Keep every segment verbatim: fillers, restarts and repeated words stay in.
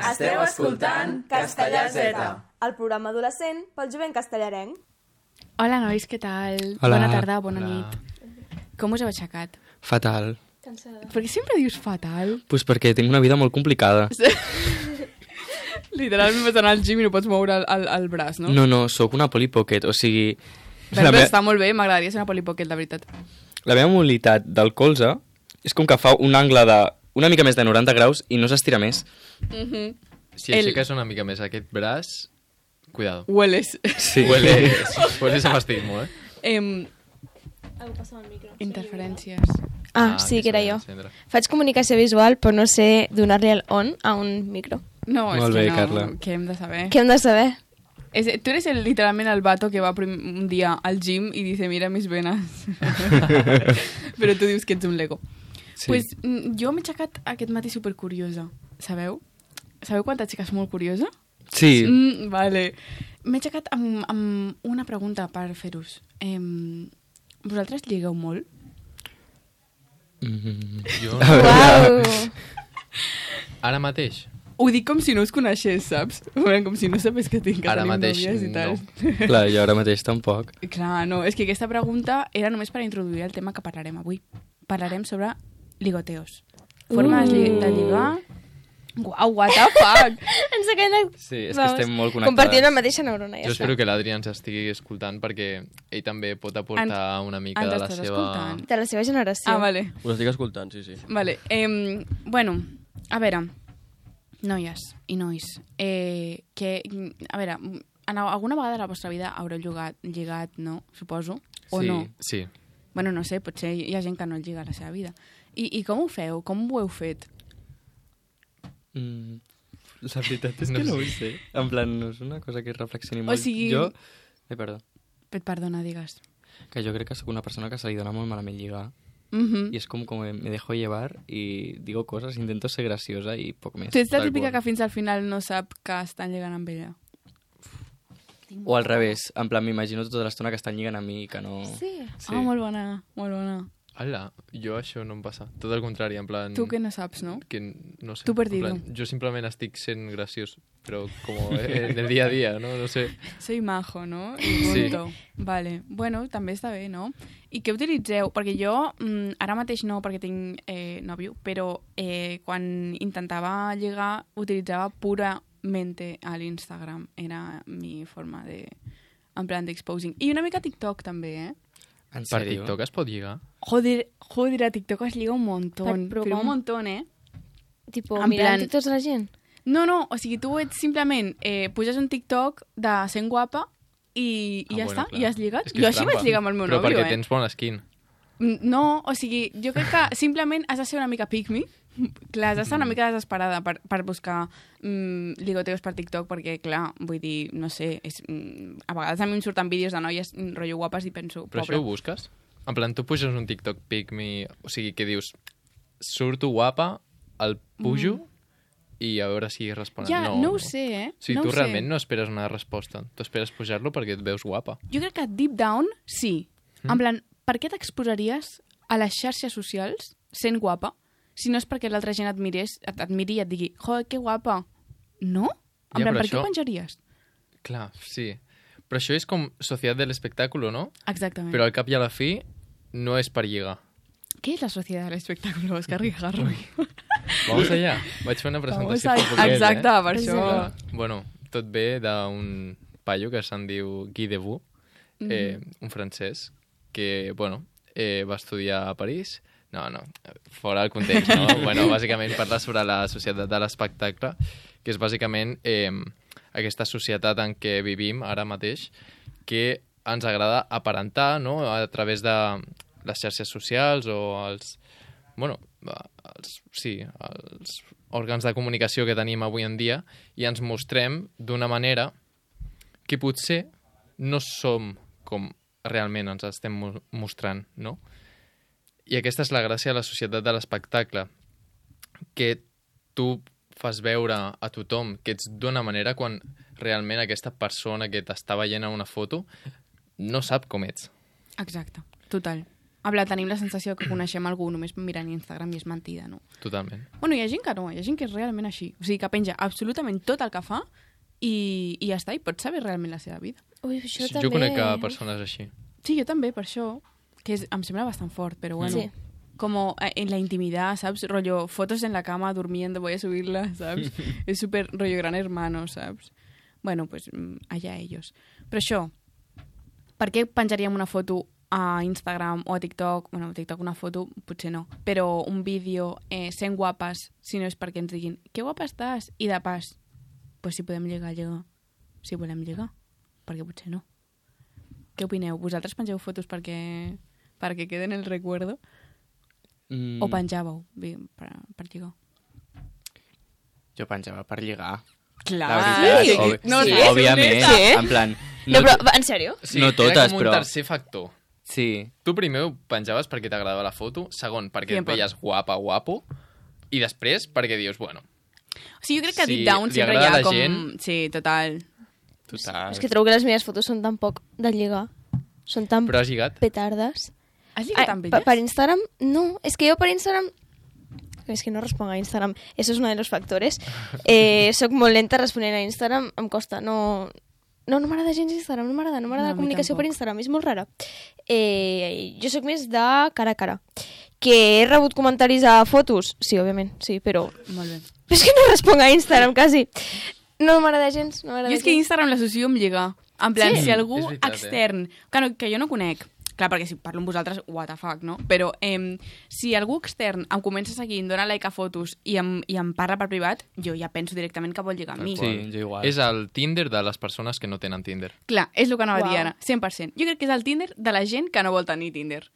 Esteu escoltant Castellà Z, el programa adolescent pel jovent castellarenc. Hola, nois, què tal? Hola. Bona tarda, bona Hola. nit. Com us heu aixecat? Fatal. Cansada. Per què sempre dius fatal? Pues perquè tinc una vida molt complicada. Literalment vas anar al gym i no pots moure el, el, el braç, no? No, no, sóc una Polly Pocket, o sigui... Però, la, però me està molt bé, m'agradaria ser una Polly Pocket, de veritat. la meva mobilitat del colze és com que fa un angle de una mica més de noranta graus i no s'estira més. Mm-hmm. Si aixeques una mica més aquest braç, cuidado. Hueles. Sí. Hueles, hueles a fastismo, eh? Em, Algú passa el micro. interferències. Ah, sí, que era jo. Sandra. Faig comunicació visual, però no sé donar-li el on a un micro. No, és Molt que bé, no, Carla. què hem de saber? Què hem de saber? És, tu eres el, literalment el vato que va prim, un dia al gym i dice, mira mis venas. Però tu dius que ets un Lego. Sí. Pues, mm, jo m'he aixecat aquest matí supercuriosa, sabeu? Sabeu quan t'aixeques molt curiosa? Sí. Mm, vale. M'he aixecat amb, amb una pregunta per fer-us. Eh, vosaltres lligueu molt? Mm. Jo, Uau! ara mateix, Ho dic com si no us coneixés, saps? Com si no sabés que tinc que Ara tenim mateix, nòvies i tal. Clar, jo ara mateix tampoc. Clar, no, és que aquesta pregunta era només per introduir el tema que parlarem avui. Parlarem sobre ligoteos. Formes Uh. de lligar... Uau, what the fuck! Ens acabem de... Sí, és que estem molt connectades. Compartint la mateixa neurona, ja jo està. espero que l'Adri ens estigui escoltant perquè ell també pot aportar una mica ens de la estàs seva... escoltant? De la seva generació. Ah, vale. Us estic escoltant, sí, sí. Vale, eh, bueno, a veure, noies i nois, eh, que, a veure, en alguna vegada de la vostra vida haureu lligat, lligat, no? Suposo, o Sí. no? Sí, Bueno, no sé, potser hi ha gent que no lliga a la seva vida. I, i com ho feu? Com ho heu fet? Mm. La veritat és No que no sé. ho sé. En plan, no és una cosa que reflexioni molt. sigui- Jo... Eh, perdó. Et perdona, digues. Que jo crec que sóc una persona que se li dona molt malament lligar. Mm-hmm. Y es como, como me dejo llevar y digo cosas, intento ser graciosa y poco més. Tu ets la Tal típica qual. que fins al final no sap que estan lligant amb ella. O al revés, en plan, m'imagino tota l'estona que estan lligant a mi i que no... Sí. sí. Ah, molt bona, molt bona. Hola, jo això no em passa. Tot el contrari, en plan... Tu que no saps, no? Que no sé. Tu en perdido. plan, jo simplement estic sent graciós, però com en el dia a dia, no? No sé. Soy majo, no? I Sí. punto. Vale. Bueno, també està bé, no? I què utilitzeu? Perquè jo, mm, ara mateix no, perquè tinc eh, nòvio, però eh, quan intentava lligar utilitzava puramente a l'Instagram. Era mi forma de... en plan d'exposing. I una mica TikTok també, eh? En Per sèrio? TikTok es pot lligar? Joder, joder, a TikTok es lliga un montón. Per- però Però un com? montón, eh? Tipo, En mirant plan- TikToks a la gent. No, no, o sigui, tu ets simplement... Eh, puges un TikTok de sent guapa i, i Ah, ja bueno, està, clar. i has lligat. És que Jo és així trampa. vaig lligar amb el meu Però nòvio, perquè eh? tens bona skin. Mm, No, o sigui, jo crec que simplement has de ser una mica pick me. Clar, has d'estar una mica desesperada per, per buscar mm, ligoteos per TikTok, perquè, clar, vull dir, no sé, és, mm, a vegades a mi em surten vídeos de noies mm, rotllo guapes i penso, Però pobre. això ho busques? En plan, tu puges un TikTok pic me... O sigui, que dius, surto guapa, el pujo i a veure si responen. Mm. Ja, no, no ho sé, eh? O sigui, no tu ho sé. realment no esperes una resposta. Tu esperes pujar-lo perquè et veus guapa. Jo crec que deep down, sí. Mm. En plan, per què t'exposaries a les xarxes socials sent guapa si no és perquè l'altra gent et mirés, et, et miri i et digui, joder, que guapa. No? En Ja, plan, però per què això- ho penjaries? Clar, sí. Però això és com societat de l'espectacle, no? Exactament. Però al cap i a la fi no és per lligar. ¿Qué es la sociedad del espectáculo, Oscar Guijarro? Vamos allá. Vaig fer una presentació Vamos fa a... poquet, Exacte, eh? per això. Bueno, tot ve d'un paio que se'n diu Guy Debus, eh, un francès, que, bueno, eh, va estudiar a París. No, no, fora el context, no? Bueno, bàsicament parla sobre la societat de l'espectacle, que és bàsicament eh, aquesta societat en què vivim ara mateix, que ens agrada aparentar, no?, a través de les xarxes socials o els, bueno, els, sí, els òrgans de comunicació que tenim avui en dia, i ens mostrem d'una manera que potser no som com realment ens estem mo- mostrant, no? I aquesta és la gràcia de la societat de l'espectacle, que tu fas veure a tothom que ets d'una manera quan realment aquesta persona que t'està veient a una foto no sap com ets. Exacte, total. En plan, tenim la sensació que coneixem algú només mirant Instagram i és mentida, no? Totalment. Bueno, hi ha gent que no, hi ha gent que és realment així. O sigui, que penja absolutament tot el que fa i, i ja està, i pots saber realment la seva vida. Ui, això Jo també... conec a persones així. Sí, jo també, per això, que és, em sembla bastant fort, però bueno... Sí. Como en la intimidad, ¿sabes? Rollo, fotos en la cama durmiendo, voy a subirla, ¿sabes? Es súper rollo gran hermano, ¿sabes? Bueno, pues allá ellos. Però això, per què penjaríem una foto a Instagram o a TikTok? Bueno, a TikTok una foto potser no, però un vídeo eh, sent guapes, si no és perquè ens diguin que guapa estàs, i de pas, pues si podem lligar, lligar. Si volem lligar, perquè potser no. Què opineu? Vosaltres pengeu fotos perquè, perquè queden el recuerdo? Mm. O penjàveu bé, per, per lligar? Jo penjava per lligar. Clar, La veritat, sí. obvi No, sí, sí, òbviament. sí. En plan... No, però, va, en sèrio? Sí, No totes, era com un però- tercer factor. Sí. Tu primer ho penjaves perquè t'agradava la foto, segon perquè et Sempre. veies guapa, guapo, i després perquè dius, bueno, O sigui, jo crec que a Si Deep Down li sempre hi agrada ha a la com... gent- Sí, total. Total. És que trobo que les meves fotos són tan poc de lligar. Són tan però has lligat. petardes. Has lligat amb per, elles? per Instagram, no. És que jo per Instagram... És que no responc a Instagram. Eso es uno de los factores. Eh, soc molt lenta responent a Instagram. Em costa, no... No, no m'agrada gens Instagram, no m'agrada. No m'agrada No, a la mi comunicació tampoc. per Instagram, és molt rara. Eh, jo sóc més de cara a cara. Que he rebut comentaris a fotos? Sí, òbviament, sí, però... Molt bé. Però és que no responc a Instagram, quasi. No m'agrada gens, no m'agrada Jo és que gens. Instagram l'associo amb lligar. En plan, Sí? si algú És veritat, eh? extern... Que, no, que jo no conec, clar, perquè si parlo amb vosaltres, what the fuck, no? Però eh, si algú extern em comença a seguir, em dona like a fotos i em, i em parla per privat, jo ja penso directament que vol lligar amb mi. Sí, jo igual. És el Tinder de les persones que no tenen Tinder. Clar, és el que anava a dir Uau. ara, cent per cent. Jo crec que és el Tinder de la gent que no vol tenir Tinder.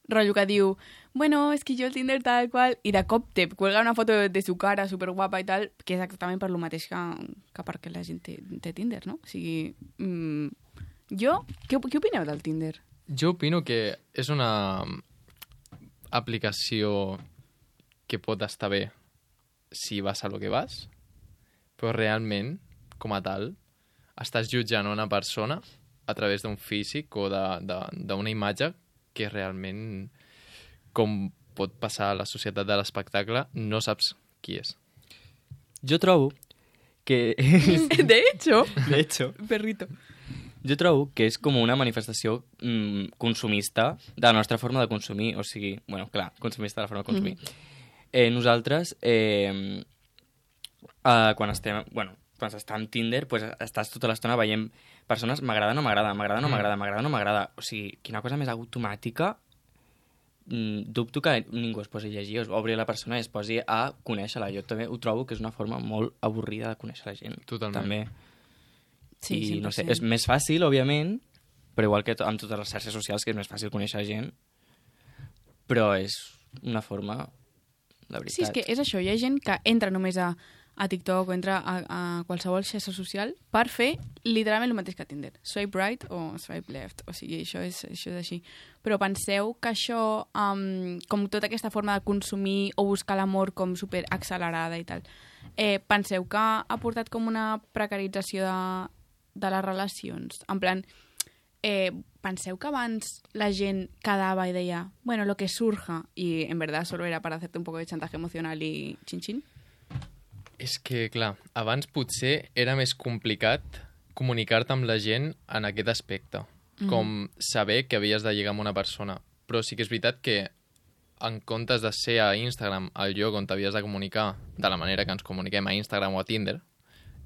Rotllo que diu, bueno, és que jo el Tinder tal qual, i de cop te cuelga una foto de, de su cara superguapa i tal, que és exactament per lo mateix que, que perquè la gent té, té Tinder, no? O sigui, mm, jo, què, què opineu del Tinder? Jo opino que és una aplicació que pot estar bé si vas a lo que vas, però realment, com a tal, estàs jutjant una persona a través d'un físic o d'una imatge que realment, com pot passar a la societat de l'espectacle, no saps qui és. Jo trobo que... De hecho, De hecho, perrito. jo trobo que és com una manifestació mm, consumista de la nostra forma de consumir. O sigui, bueno, clar, consumista de la forma de consumir. Mm. Eh, nosaltres, eh, eh, quan estem... Bueno, quan s'està amb Tinder, pues, estàs tota l'estona veient persones, m'agrada, no m'agrada, m'agrada, no m'agrada, m'agrada, no m'agrada. O sigui, quina cosa més automàtica. Mm, dubto que ningú es posi a llegir, o obri la persona i es posi a conèixer-la. Jo també ho trobo que és una forma molt avorrida de conèixer la gent. Totalment. També. Sí, I cent per no sé, cent. és més fàcil, òbviament, però igual que to- amb totes les xarxes socials, que és més fàcil conèixer gent, però és una forma, la veritat. Sí, és que és això, hi ha gent que entra només a, a TikTok o entra a, a qualsevol xarxa social per fer literalment el mateix que Tinder. Swipe right o swipe left. O sigui, això és, això és així. Però penseu que això, um, com tota aquesta forma de consumir o buscar l'amor com super accelerada i tal, eh, penseu que ha portat com una precarització de, de les relacions? En plan, eh, penseu que abans la gent quedava i deia, bueno, lo que surja, y en verdad solo era para hacerte un poco de chantaje emocional y chin-chin? És que, clar, abans potser era més complicat comunicar-te amb la gent en aquest aspecte, mm. com saber que havies de lligar amb una persona. Però sí que és veritat que en comptes de ser a Instagram el lloc on t'havies de comunicar de la manera que ens comuniquem a Instagram o a Tinder,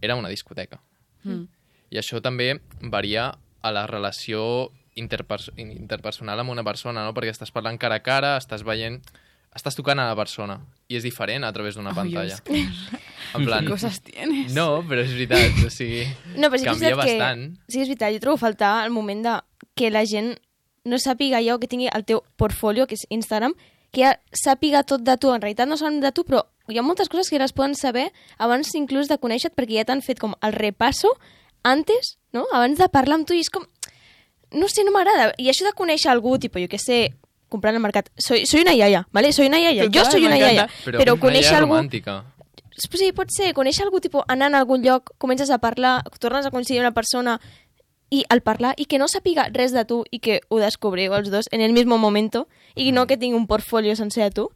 era una discoteca. Mm. I això també varia a la relació interpers interpersonal amb una persona, no? Perquè estàs parlant cara a cara, estàs veient... Estàs tocant a la persona i és diferent a través d'una Ai, pantalla. és que- En plan... ¿Qué cosas tienes? No, però és veritat, o sigui... No, però sí que és canvia veritat bastant. Que, sí, és veritat, jo trobo a faltar el moment de que la gent no sàpiga ja o que tingui el teu portfolio, que és Instagram, que ja sàpiga tot de tu. En realitat no saben de tu, però hi ha moltes coses que ja les poden saber abans inclús de conèixer-te, perquè ja t'han fet com el repasso antes, no? Abans de parlar amb tu, i és com... No sé, no m'agrada. I això de conèixer algú, tipus, jo què sé, comprant al mercat. Soy, soy una iaia, ¿vale? Soy una iaia. Total, jo soy una m'encanta. iaia. Però, Però una conèixer idea algú... romàntica. Sí, pot ser, conèixer algú, tipus, anant a algun lloc, comences a parlar, tornes a coincidir amb una persona, i al parlar, i que no sàpiga res de tu i que ho descobriu els dos en el mismo momento i no que tingui un portfolio sencer de tu.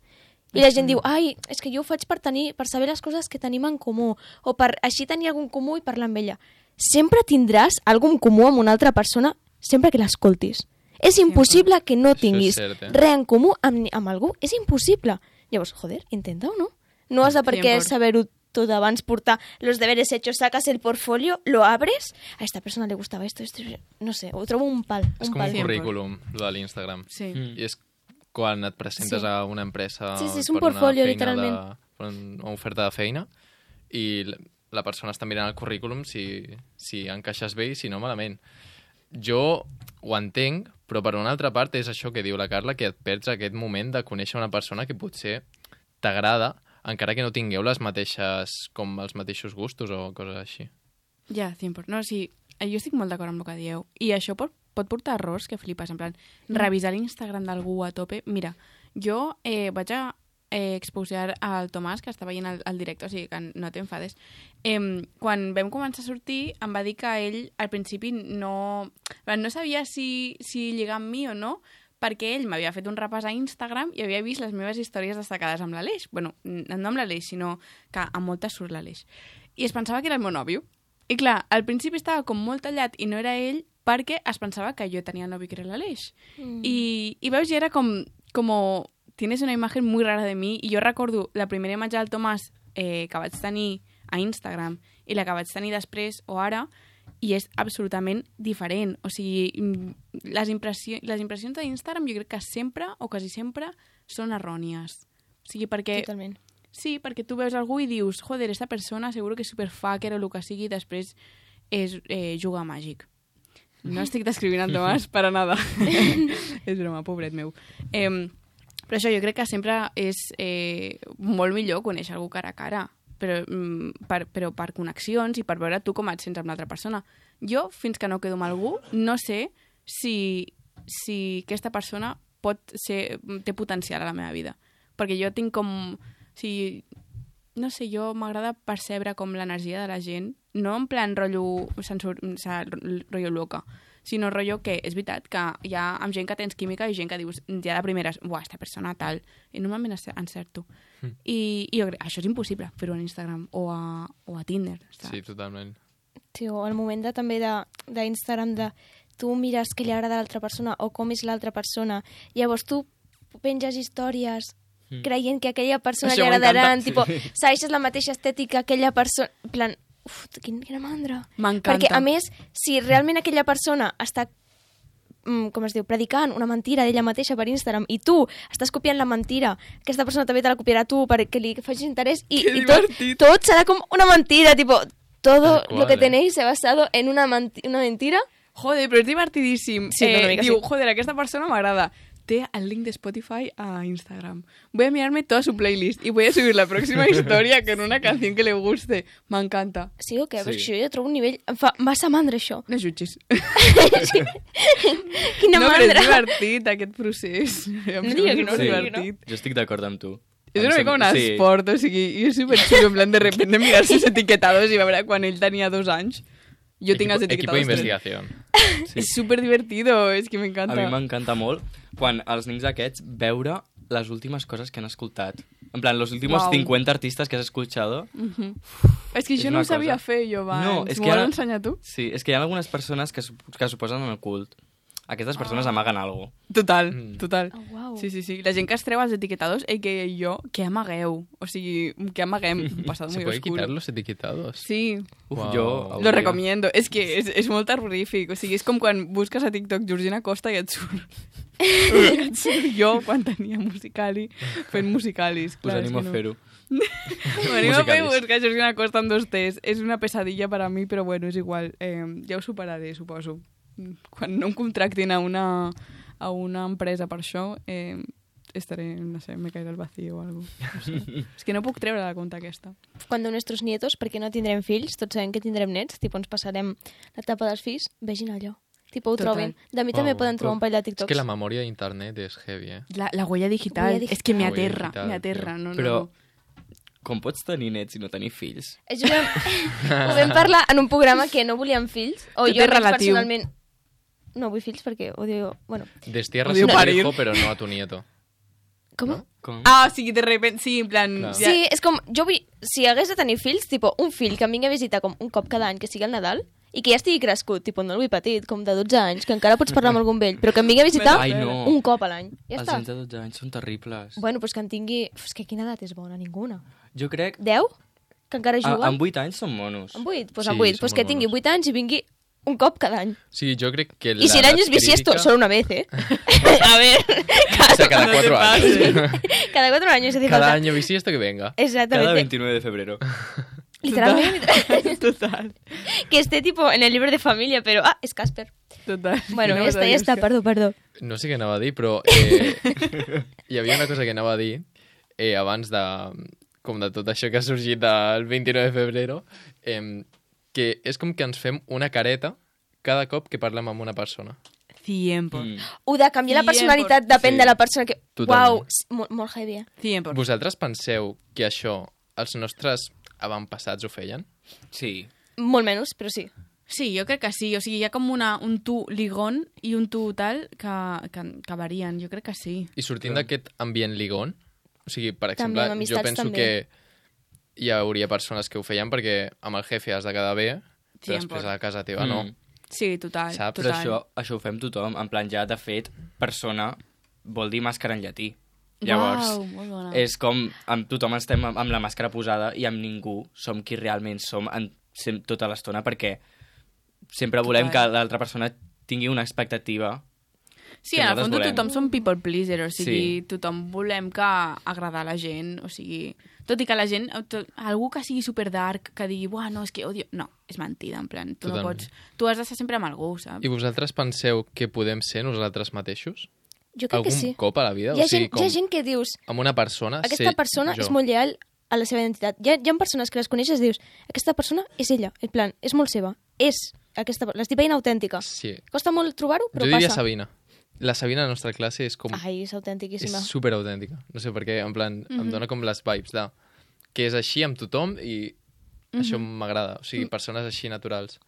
I la gent diu, ai, és que jo ho faig per tenir, per saber les coses que tenim en comú, o per així tenir algun comú i parlar amb ella. Sempre tindràs algun comú amb una altra persona sempre que l'escoltis. És impossible que no tinguis cert, eh? res en comú amb, amb algú. És impossible. Llavors, joder, intenta-ho, no? No has de per què saber-ho tot abans, portar los deberes hechos, sacas el portfolio, lo abres, a esta persona le gustaba esto, esto, no sé, ho trobo un pal. És un com pal. un currículum, lo de l'Instagram. Sí. I és quan et presentes Sí. a una empresa Sí, sí, és un per portfolio, una feina literalment. De, per una oferta de feina i la- la persona està mirant el currículum si, si encaixes bé i si no malament. Jo ho entenc, però per una altra part és això que diu la Carla, que et perds aquest moment de conèixer una persona que potser t'agrada, encara que no tingueu les mateixes, com els mateixos gustos o coses així. Ja, cent per cent. No, sí, jo estic molt d'acord amb el que dieu. I això pot, pot portar errors que flipes, en plan, revisar l'Instagram d'algú a tope. Mira, jo eh, vaig a eh, exposar al Tomàs, que està veient el, el directe, o sigui que no t'enfades. Eh, quan vam començar a sortir, em va dir que ell al principi no, no sabia si, si lligar amb mi o no, perquè ell m'havia fet un repàs a Instagram i havia vist les meves històries destacades amb l'Aleix. Bueno, no amb l'Aleix, sinó que amb moltes surt l'Aleix. I es pensava que era el meu nòvio. I clar, al principi estava com molt tallat i no era ell perquè es pensava que jo tenia nòvio que era l'Aleix. Mm. I, I veus, ja era com, com... Tienes una imagen muy rara de mi. I jo recordo la primera imatge del Tomàs eh, que vaig tenir a Instagram i la que vaig tenir després o ara, i és absolutament diferent. O sigui, les, impressió, les impressions d'Instagram jo crec que sempre, o quasi sempre, són errònies. O sigui, perquè... Totalment. Sí, perquè tu veus algú i dius, joder, esta persona seguro que és superfucker o el que sigui, i després és eh, jugar màgic. No estic descrivint el Tomàs per a nada. És broma, pobret meu. Eh, però això, jo crec que sempre és eh, molt millor conèixer algú cara a cara, però, mm, per, però per connexions i per veure tu com et sents amb l'altra persona. Jo, fins que no quedo amb algú, no sé si, si aquesta persona pot ser, té potencial a la meva vida. Perquè jo tinc com... O sigui, no sé, jo m'agrada percebre com l'energia de la gent, no en plan rotllo, sensor, o sigui, rotllo loca, sinó rotllo que és veritat que hi ha amb gent que tens química i gent que dius, ja de primeres, buah, esta persona tal, i normalment encerto. Mm. I, i jo crec, això és impossible fer-ho a Instagram o a, o a Tinder. Saps? Sí, totalment. Sí, o el moment de, també d'Instagram de, de tu mires què li agrada a l'altra persona o com és l'altra persona, llavors tu penges històries mm. creient que a aquella persona això li agradaran, sí. tipo, segueixes la mateixa estètica, aquella persona... En plan, uf, quin, quina mandra. M'encanta. Perquè, a més, si realment aquella persona està, mm, com es diu, predicant una mentira d'ella mateixa per Instagram i tu estàs copiant la mentira, aquesta persona també te la copiarà tu perquè li facis interès i, Que i tot, divertit. tot serà com una mentira, tipo, todo Tal cual, lo que eh. tenéis se ha basado en una, menti una mentira. Joder, però és divertidíssim. Sí, una eh, mica diu, sí. joder, aquesta persona m'agrada. Té el link de Spotify a Instagram. Voy a mirarme toda su playlist y voy a subir la próxima historia con una canción que le guste. M'encanta. Sí o què? Sí. Sí. Això jo trobo un nivell... Em fa massa mandra, això. No jutgis. Quina no, però és mandra. divertit, aquest procés. Em No sembla digues que no, superdivertit. Jo estic d'acord amb tu. És Em una mica sembla- un sí. esport, o sigui, jo és superxulo, en plan, de repente mirar sus etiquetados i veure quan ell tenia dos anys. Jo tinc els Equipo de etiquetados. investigación. Sí. És superdivertido, és que A m'encanta. mi m'encanta molt quan els nens aquests veure les últimes coses que han escoltat. En plan, los últimos Wow. cincuenta artistas que has escuchado. Mhm. És que És això no una ho sabia cosa. fer jo abans. No, és que M'ho ara- has ensenyat tu? Sí, és que hi ha algunes persones que, sup- que suposen en el cult. Aquestes persones Ah. amaguen alguna cosa. Total, Mm. total. Oh, uau. Sí, sí, sí. La gent que es treu els etiquetados, ell que jo, que amagueu. O sigui, que amaguem. Un passat ¿Se muy puede oscuro. quitar los etiquetados? Sí, Uf, Wow. jo... Lo lo hauria. recomiendo. És que és, és molt terrorífic. O sigui, és com quan busques a TikTok Georgina Costa i et surt. I et surt jo quan tenia Musicali, fent musicalis. Us Clar, és animo que a no. fer-ho. M'animo a fer Musicalis. buscar Georgina Costa en dos T's. És una pesadilla per a mi, però bueno, és igual. Eh, ja ho superaré, suposo. Quan no em contractin a una, a una empresa per això, eh, estaré, no sé, me caerà el vacío o algo. No sé. És que no puc treure la compte aquesta. Cuando nuestros nietos, perquè no tindrem fills, tots sabem que tindrem nets, tipo, ens passarem l'etapa dels fills, vegin allò. Tipo, ho Total. trobin. De mi també Wow, poden trobar un parell de Es TikToks. que la memoria de internet es heavy, ¿eh? La, la huella digital. Huella És que me digital. aterra, Huella me digital, aterra. No, no, Però no. com pots tenir nets i no tenir fills? Això ho vam, ho vam parlar en un programa que no volíem fills, o Tot jo és relatiu. personalment no vull fills perquè odio... Bueno, Destierras Odio a tu parir. hijo, pero no a tu nieto. com? No? Com? Ah, o sigui, de repente, sí, en plan... Clar. Sí, és com, jo vull, si hagués de tenir fills, tipo, un fill que em vingui a visitar com un cop cada any, que sigui el Nadal, i que ja estigui crescut, tipo, no el vull petit, com de dotze anys, que encara pots parlar amb algun vell, però que em vingui a visitar Ai, no. un cop a l'any. Ja Els està. nens de dotze anys són terribles. Bueno, doncs que en tingui... Uf, és que quina edat és bona? Ninguna. Jo crec... deu? Que encara A, juga? amb vuit anys són monos. Amb vuit? Doncs Sí, amb vuit. són Doncs que molt tingui monos. vuit anys i vingui un cop cada any. Sí, jo crec que... I si l'any és bisiesto, crítica... solo una vez, ¿eh? A ver, O sea, cada No cuatro te años. cada cuatro años hace Cada falta. año bisiesto que venga. Cada Exactamente. veintinueve de febrero. Literalmente. Total, Que esté tipo en el libro de familia, pero... Ah, es Casper. total. Bueno, No ja vas a està, dir ja està, això. perdó, perdó. No sé què anava a dir, però eh, hi havia una cosa que anava a dir eh, abans de, com de tot això que ha sorgit del vint-i-nou de febrero, eh, que és com que ens fem una careta cada cop que parlem amb una persona. cien por Mm. Ho de canviar la cien personalitat por- depèn Sí. de la persona que... Totalment. Uau, s- molt, molt heavy, eh? cien por Vosaltres penseu que això els nostres avantpassats ho feien? Sí. Molt menys, però sí. Sí, jo crec que sí. O sigui, hi ha com una, un tu ligón i un tu tal que, que, que varien. Jo crec que sí. I sortint d'aquest ambient ligón, o sigui, per També, exemple, amb jo amistats penso també. que hi hauria persones que ho feien perquè amb el jefe has de quedar bé, però cien després por. a casa teva no. Mm. Sí, total. Saps? Però total. això, això ho fem tothom. En plan, ja, de fet, persona vol dir màscara en llatí. Llavors, Uau, molt bona. és com amb tothom estem amb, amb la màscara posada i amb ningú som qui realment som en, sem, tota l'estona perquè sempre volem Total. que l'altra persona tingui una expectativa. Sí, que en el nosaltres fons volem. tothom som people pleaser, o sigui, Sí. tothom volem que agradar a la gent, o sigui, tot i que la gent, tot, algú que sigui super dark, que digui, buah, no, és que odio... No, és mentida, en plan, tu no Totalment. pots... Tu has d'estar sempre amb algú, saps? I vosaltres penseu que podem ser nosaltres mateixos? Jo crec Algun que sí. cop a la vida? Hi ha, o sigui, gent, hi ha gent que dius, amb una persona... aquesta ser persona jo. és molt lleal a la seva identitat. Hi ha, hi ha persones que les coneixes i dius, aquesta persona és ella, en plan, és molt seva. És aquesta... L'estic veient autèntica. Sí. Costa molt trobar-ho, però Jo diria passa. Sabina. La Sabina de la nostra classe és com... Ai, és autèntiquíssima. és super autèntica. No sé per què, en plan, mm -hmm. em dona com les vibes de... que és així amb tothom i mm -hmm. això m'agrada. O sigui, persones així naturals.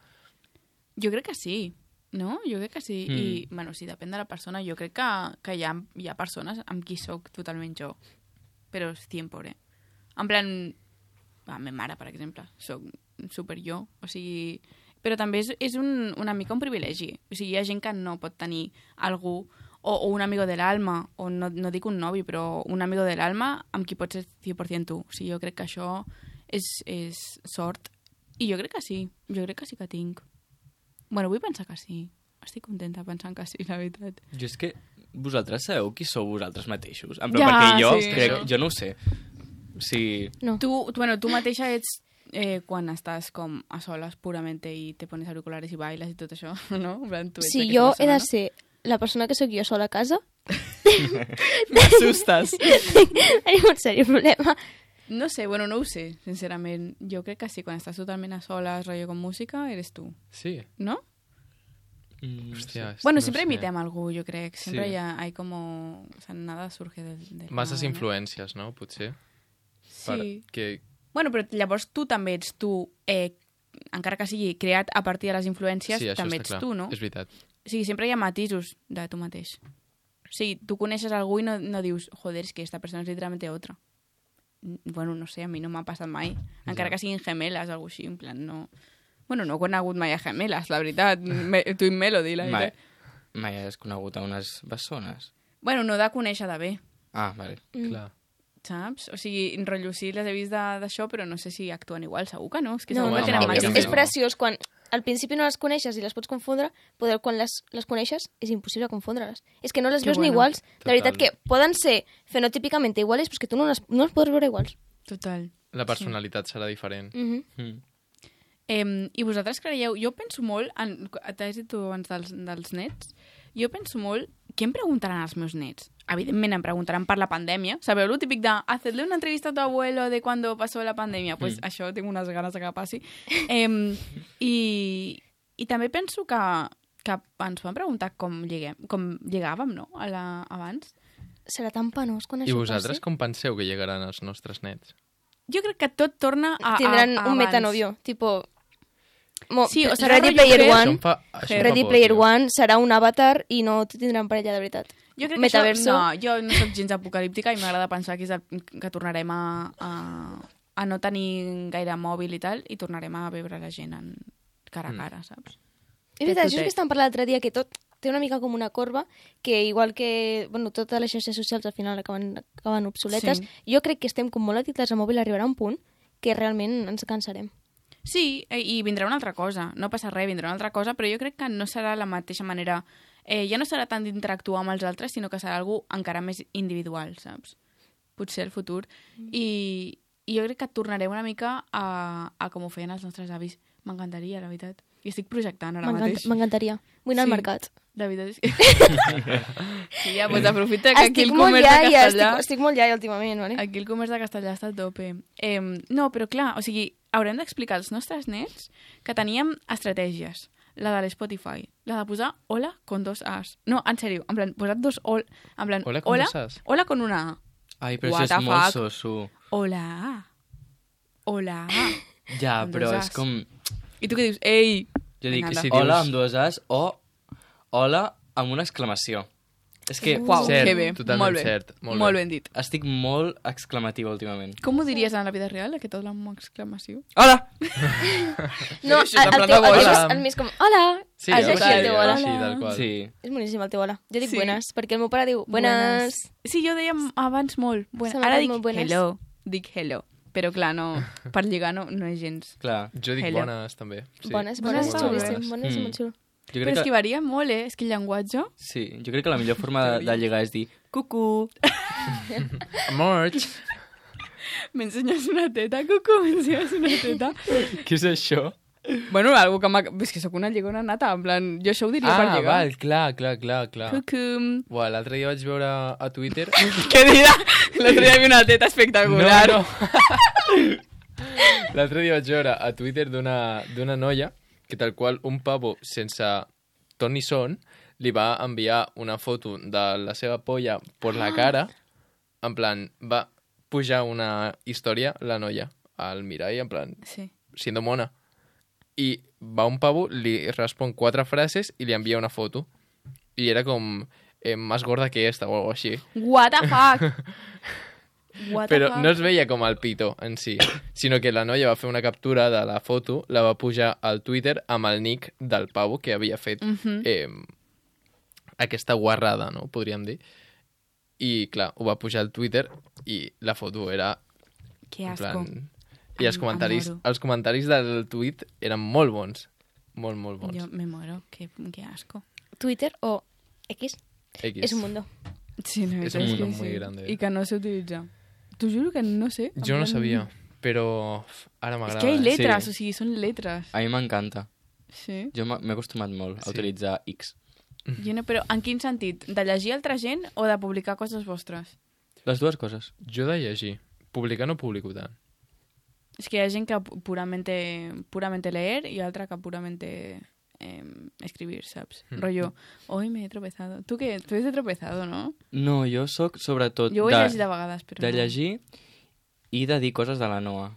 Jo crec que sí, no? Jo crec que sí. Mm. I, bueno, sí, depèn de la persona. Jo crec que, que hi, ha, hi ha persones amb qui sóc totalment jo. Però és cien por, eh? En plan, la meva mare, per exemple, sóc super jo. O sigui... Però també és, és un, una mica un privilegi. O sigui, hi ha gent que no pot tenir algú o, o un amigo de l'alma, o no, no dic un novi, però un amigo de l'alma amb qui pots ser cent per cent tu. O sigui, jo crec que això és, és sort. I jo crec que sí. Jo crec que sí que tinc. Bueno, vull pensar que sí. Estic contenta pensant que sí, la veritat. Jo és que vosaltres sabeu qui sou vosaltres mateixos? En plan, Ja, perquè jo sí. crec... Jo no ho sé. O sigui... No. Tu, tu, bueno, tu mateixa ets eh, quan estàs com a soles puramente i te pones auriculares i bailes i tot això, no? En plan, tu ets Si aquesta jo he persona, de ser la persona que sóc jo sola a casa, no? M'assustes. tenim un sèrio problema. No sé, bueno, no ho sé, sincerament. Jo crec que sí, quan estàs totalment a soles, rotllo con música, eres tu, Sí. ¿no? Mm, Hòstia, és- Bueno, no siempre sé. imitem a algú, yo creo. Siempre Sí. ya hay como... O sea, nada surge del... del Masses nada, no? influències, no? Potser. Sí. que... Bueno, però llavors tu també ets tu, eh, encara que sigui creat a partir de les influències, Sí, això també està ets clar. tu, no? És veritat. O sigui, sempre hi ha matisos de tu mateix. O sigui, tu coneixes algú i no, no dius, joder, és que esta persona és literalmente otra. N- Bueno, no sé, a mi no m'ha passat mai. Encara Ja. que siguin gemeles o alguna així, en plan, no... Bueno, no he conegut mai a gemeles, la veritat. Me, tu i Melody, la Mai, veritat. mai has conegut a unes bessones. Bueno, no de conèixer de bé, Ah, vale. Mm. Clar. saps? O sigui, en rotllo sí les he vist de- d'això, però no sé si actuen igual, segur que no. És que No, segur bueno, que no, tenen és, canvia matxos. és preciós quan al principi no les coneixes i les pots confondre, però quan les, les coneixes és impossible confondre-les. És que no les Que veus ni bueno. iguals. De Total. veritat que poden ser fenotípicament iguals, però és que tu no les, no les pots veure iguals. Total. La personalitat serà diferent. Mm -hmm. Mm. Eh, I vosaltres creieu... Jo penso molt... En, t'has dit tu abans dels, dels nets. Jo penso molt... Què em preguntaran els meus nets? Evidentment em preguntaran per la pandèmia. Sabeu lo típic de hacerle una entrevista a tu abuelo de cuando pasó la pandèmia? Pues Mm. això tinc unes ganes de que passi. Eh, i, I també penso que, que ens van preguntar com, lliguem, com lligàvem, no? A la, abans. Serà tan penós quan I això vosaltres passi. com penseu que llegaran els nostres nets? Jo crec que tot torna a, Tindran a, a un abans. metanovio, tipo... Mo, Sí, o serà Ready rotllo Player Her. One, Això em fa, això em fa Ready por, Player tio. One serà un avatar i no tindran parella de veritat. Jo crec que Metaverso. això... No, jo no soc gens apocalíptica i m'agrada pensar que, és el, que tornarem a, a, a no tenir gaire mòbil i tal i tornarem a veure la gent en cara a cara, saps? És veritat, tot això és és. que estàvem parlant l'altre dia, que tot té una mica com una corba, que igual que bueno, totes les xarxes socials al final acaben, acaben obsoletes, Sí. jo crec que estem com molt addictes al mòbil, arribarà un punt que realment ens cansarem. Sí, eh, i vindrà una altra cosa. No passa res, vindrà una altra cosa, però jo crec que no serà la mateixa manera... Eh, ja no serà tant d'interactuar amb els altres, sinó que serà algú encara més individual, saps? Potser el futur. Mm. I, I jo crec que tornarem una mica a, a com ho feien els nostres avis. M'encantaria, la veritat. I estic projectant ara M'encanta- mateix. M'encantaria. Vull anar Sí. al mercat. La veritat és que... sí, ja, doncs aprofita que aquí Estic el molt comerç de iaia, Castellà... estic, estic molt iaia últimament, vale? Aquí el comerç de Castellà està a tope. Eh, no, però clar, o sigui, haurem d'explicar als nostres nets que teníem estratègies. La de l'Spotify. La de posar hola con dos as. No, en sèrio, en plan, posat dos ol... En plan, Hola con dos as. Hola con una a. Ai, però What això the és molt fuck? soso. Hola. Hola. Ja, Amb però dos és as. com... I tu què dius? Ei! Jo dic, Vinga, si anda. hola dius- amb dues as o hola amb una exclamació. És que Uau, Cert, que bé. totalment molt bé. cert, molt molt bé. ben dit. estic molt exclamativa últimament. Com ho diries en la vida real, aquest hola amb exclamació? Hola! No, Això és en el, el, plan teu, de el, bola. el, el més com, hola! Sí, és algo així el així, teu algo hola. així, tal qual. Sí. És boníssim el teu hola. Jo dic Sí. buenas, perquè el meu pare diu buenas. Sí, jo deia abans molt. Se Bueno, m'ha ara quedat dic molt buenas. hello. Dic hello. Però clar, no, per lligar no, no és gens. Clar. Jo dic Hello. bones, també. Sí. Bones, Bones bones, està és molt xulíssim. bones. Bones, és Mm. molt xulo. Jo Però crec és que que... varia molt, eh? És que el llenguatge... Sí, jo crec que la millor forma de, de lligar és dir cucu. Amor, M'ensenyes una teta, cucu, m'ensenyes una teta. què és això? Bueno, algo que m'ha... És que sóc una lligona nata, en plan... Jo això ho diria per Ah, lligar. val, clar, clar, clar, clar. Cucu. Buah, l'altre dia vaig veure a Twitter... Què dirà? L'altre dia hi havia una teta espectacular. No, no. L'altre dia vaig veure a Twitter d'una d'una noia que tal qual un pavo sense ton ni son li va enviar una foto de la seva polla per la cara. En plan, va pujar una història, la noia, al mirall, en plan, Sí. siendo mona. I va un pavo, li respon quatre frases i li envia una foto. I era com, eh, más gorda que esta o algo així. What the fuck? What the Però fuck? no es veia com el pito en si, sinó que la noia va fer una captura de la foto, la va pujar al Twitter amb el nick del pavo que havia fet Mhm. eh, aquesta guarrada, no? Podríem dir. I, clar, ho va pujar al Twitter i la foto era... Que en asco. plan... I els Em- comentaris, em moro. els comentaris del tuit eren molt bons. Molt, molt bons. Jo me muero. Que, que asco. Twitter o X X. és un mundo. Sí, la És veritat un és que mundo sí. muy grande. I que no s'utilitza. T'ho juro que no sé. en Jo no plan- sabia, però ara És m'agrada. que hi ha lletres, Sí. o sigui, són lletres. A mi m'encanta. Sí. Jo m'ha- m'he acostumat molt a Sí. utilitzar X. Jo no, però en quin sentit? De llegir altra gent o de publicar coses vostres? Les dues coses. Jo de llegir. Publicar no publico tant. És que hi ha gent que pu- puramente, puramente leer i altra que puramente eh, escribir, saps? Mm. Rollo, hoy me he tropezado. Tu què? Tu has tropezado, no? No, jo sóc sobretot Jo ho he de, llegit de vegades, però de no. llegir i de dir coses de la Noa.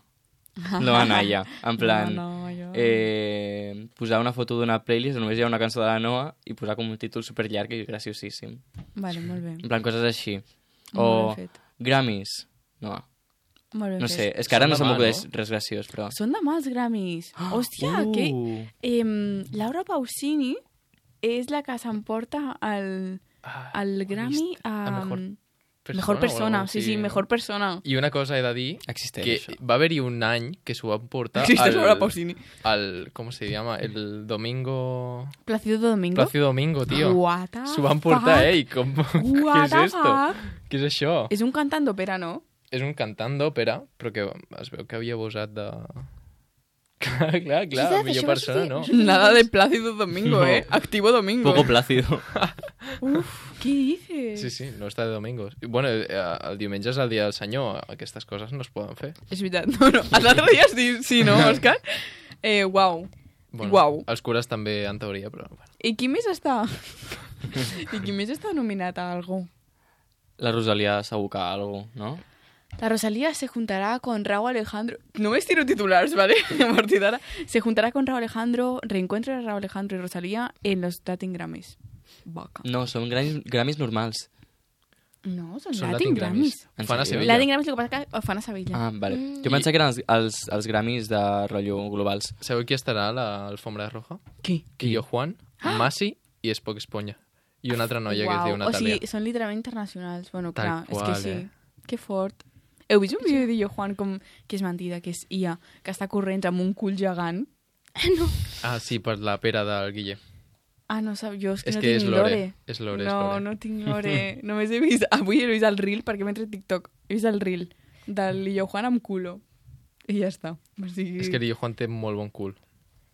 La Naya. En plan, No, no, jo... eh, posar una foto d'una playlist on només hi ha una cançó de la Noa i posar com un títol superllarg i graciosíssim. Vale, molt bé. En plan, coses així. Molt O ben fet. Grammys. No, Molt ben no fet. sé. És que ara Són no se demà, m'acudeix no? res graciós, però... Són demà els Grammys. Hòstia, Uh. que... Eh, Laura Pausini és la que s'emporta el, Ah, el ho he Grammy vist. a... A mejor Mejor o persona, algo sí, així. sí, mejor persona. I una cosa he de dir, Existeix, que això. va haver-hi un any que s'ho van portar Existe Laura al, Pausini. al... ¿Cómo se llama? El domingo... Plácido Domingo. Plácido Domingo, tío. What the S'ho van portar, fuck? ell. Com... Què What és the esto? fuck? Què és això? És un cantant d'òpera, no? És un cantant d'òpera, però que es veu que havia abusat de... clar, clar, clar, Veritat, millor això va persona, sortir- no? Nada de Plácido Domingo, No. eh? Activo Domingo. Poco plácido. Uf, què dices? Sí, sí, no està de domingos. I, bueno, eh, el diumenge és el dia del senyor, aquestes coses no es poden fer. És veritat. No, no. L'altre dia sí, sí, no, Òscar? Eh, uau. Bueno, Uau. Els cures també, en teoria, però... Bueno. I qui més està? I qui més està nominat a algú? La Rosalia segur que algú, no? La Rosalía se juntará con Rauw Alejandro. No me estiro titulares, ¿vale? A partir de ahora. Se juntará con Rauw Alejandro, reencuentro de Rauw Alejandro y Rosalía en los Latin Grammys. Vaca. No, són Grammys, Grammys normals. No, són, Són Latin, Latin Grammys. Grammys. Fan a sèrio? Sevilla. Latin Grammys, el que passa que ho fan a Sevilla. Ah, vale. Jo pensava que eren els, els, els Grammys de rotllo globals. Sabeu qui estarà a l'alfombra roja? Qui? Quillo Juan, Masi i Spock Esponya. I una altra noia que es diu O Natàlia. sigui, són literalment internacionals. Bueno, Tal clar, qual, és que sí. eh? Que fort. Heu vist un vídeo de Jo Juan com que és mentida, que és I A, que està corrent amb un cul gegant? No. Ah, sí, per la pera del Guille. Ah, no sap, jo és que És no que és tinc Lore. Lore. És Lore, és no, Lore. no tinc Lore. Només he vist... Avui he vist el reel perquè m'he entrat TikTok. He vist el reel del Jo Juan amb culo. I ja està. O sigui... És que Guille Juan té molt bon cul.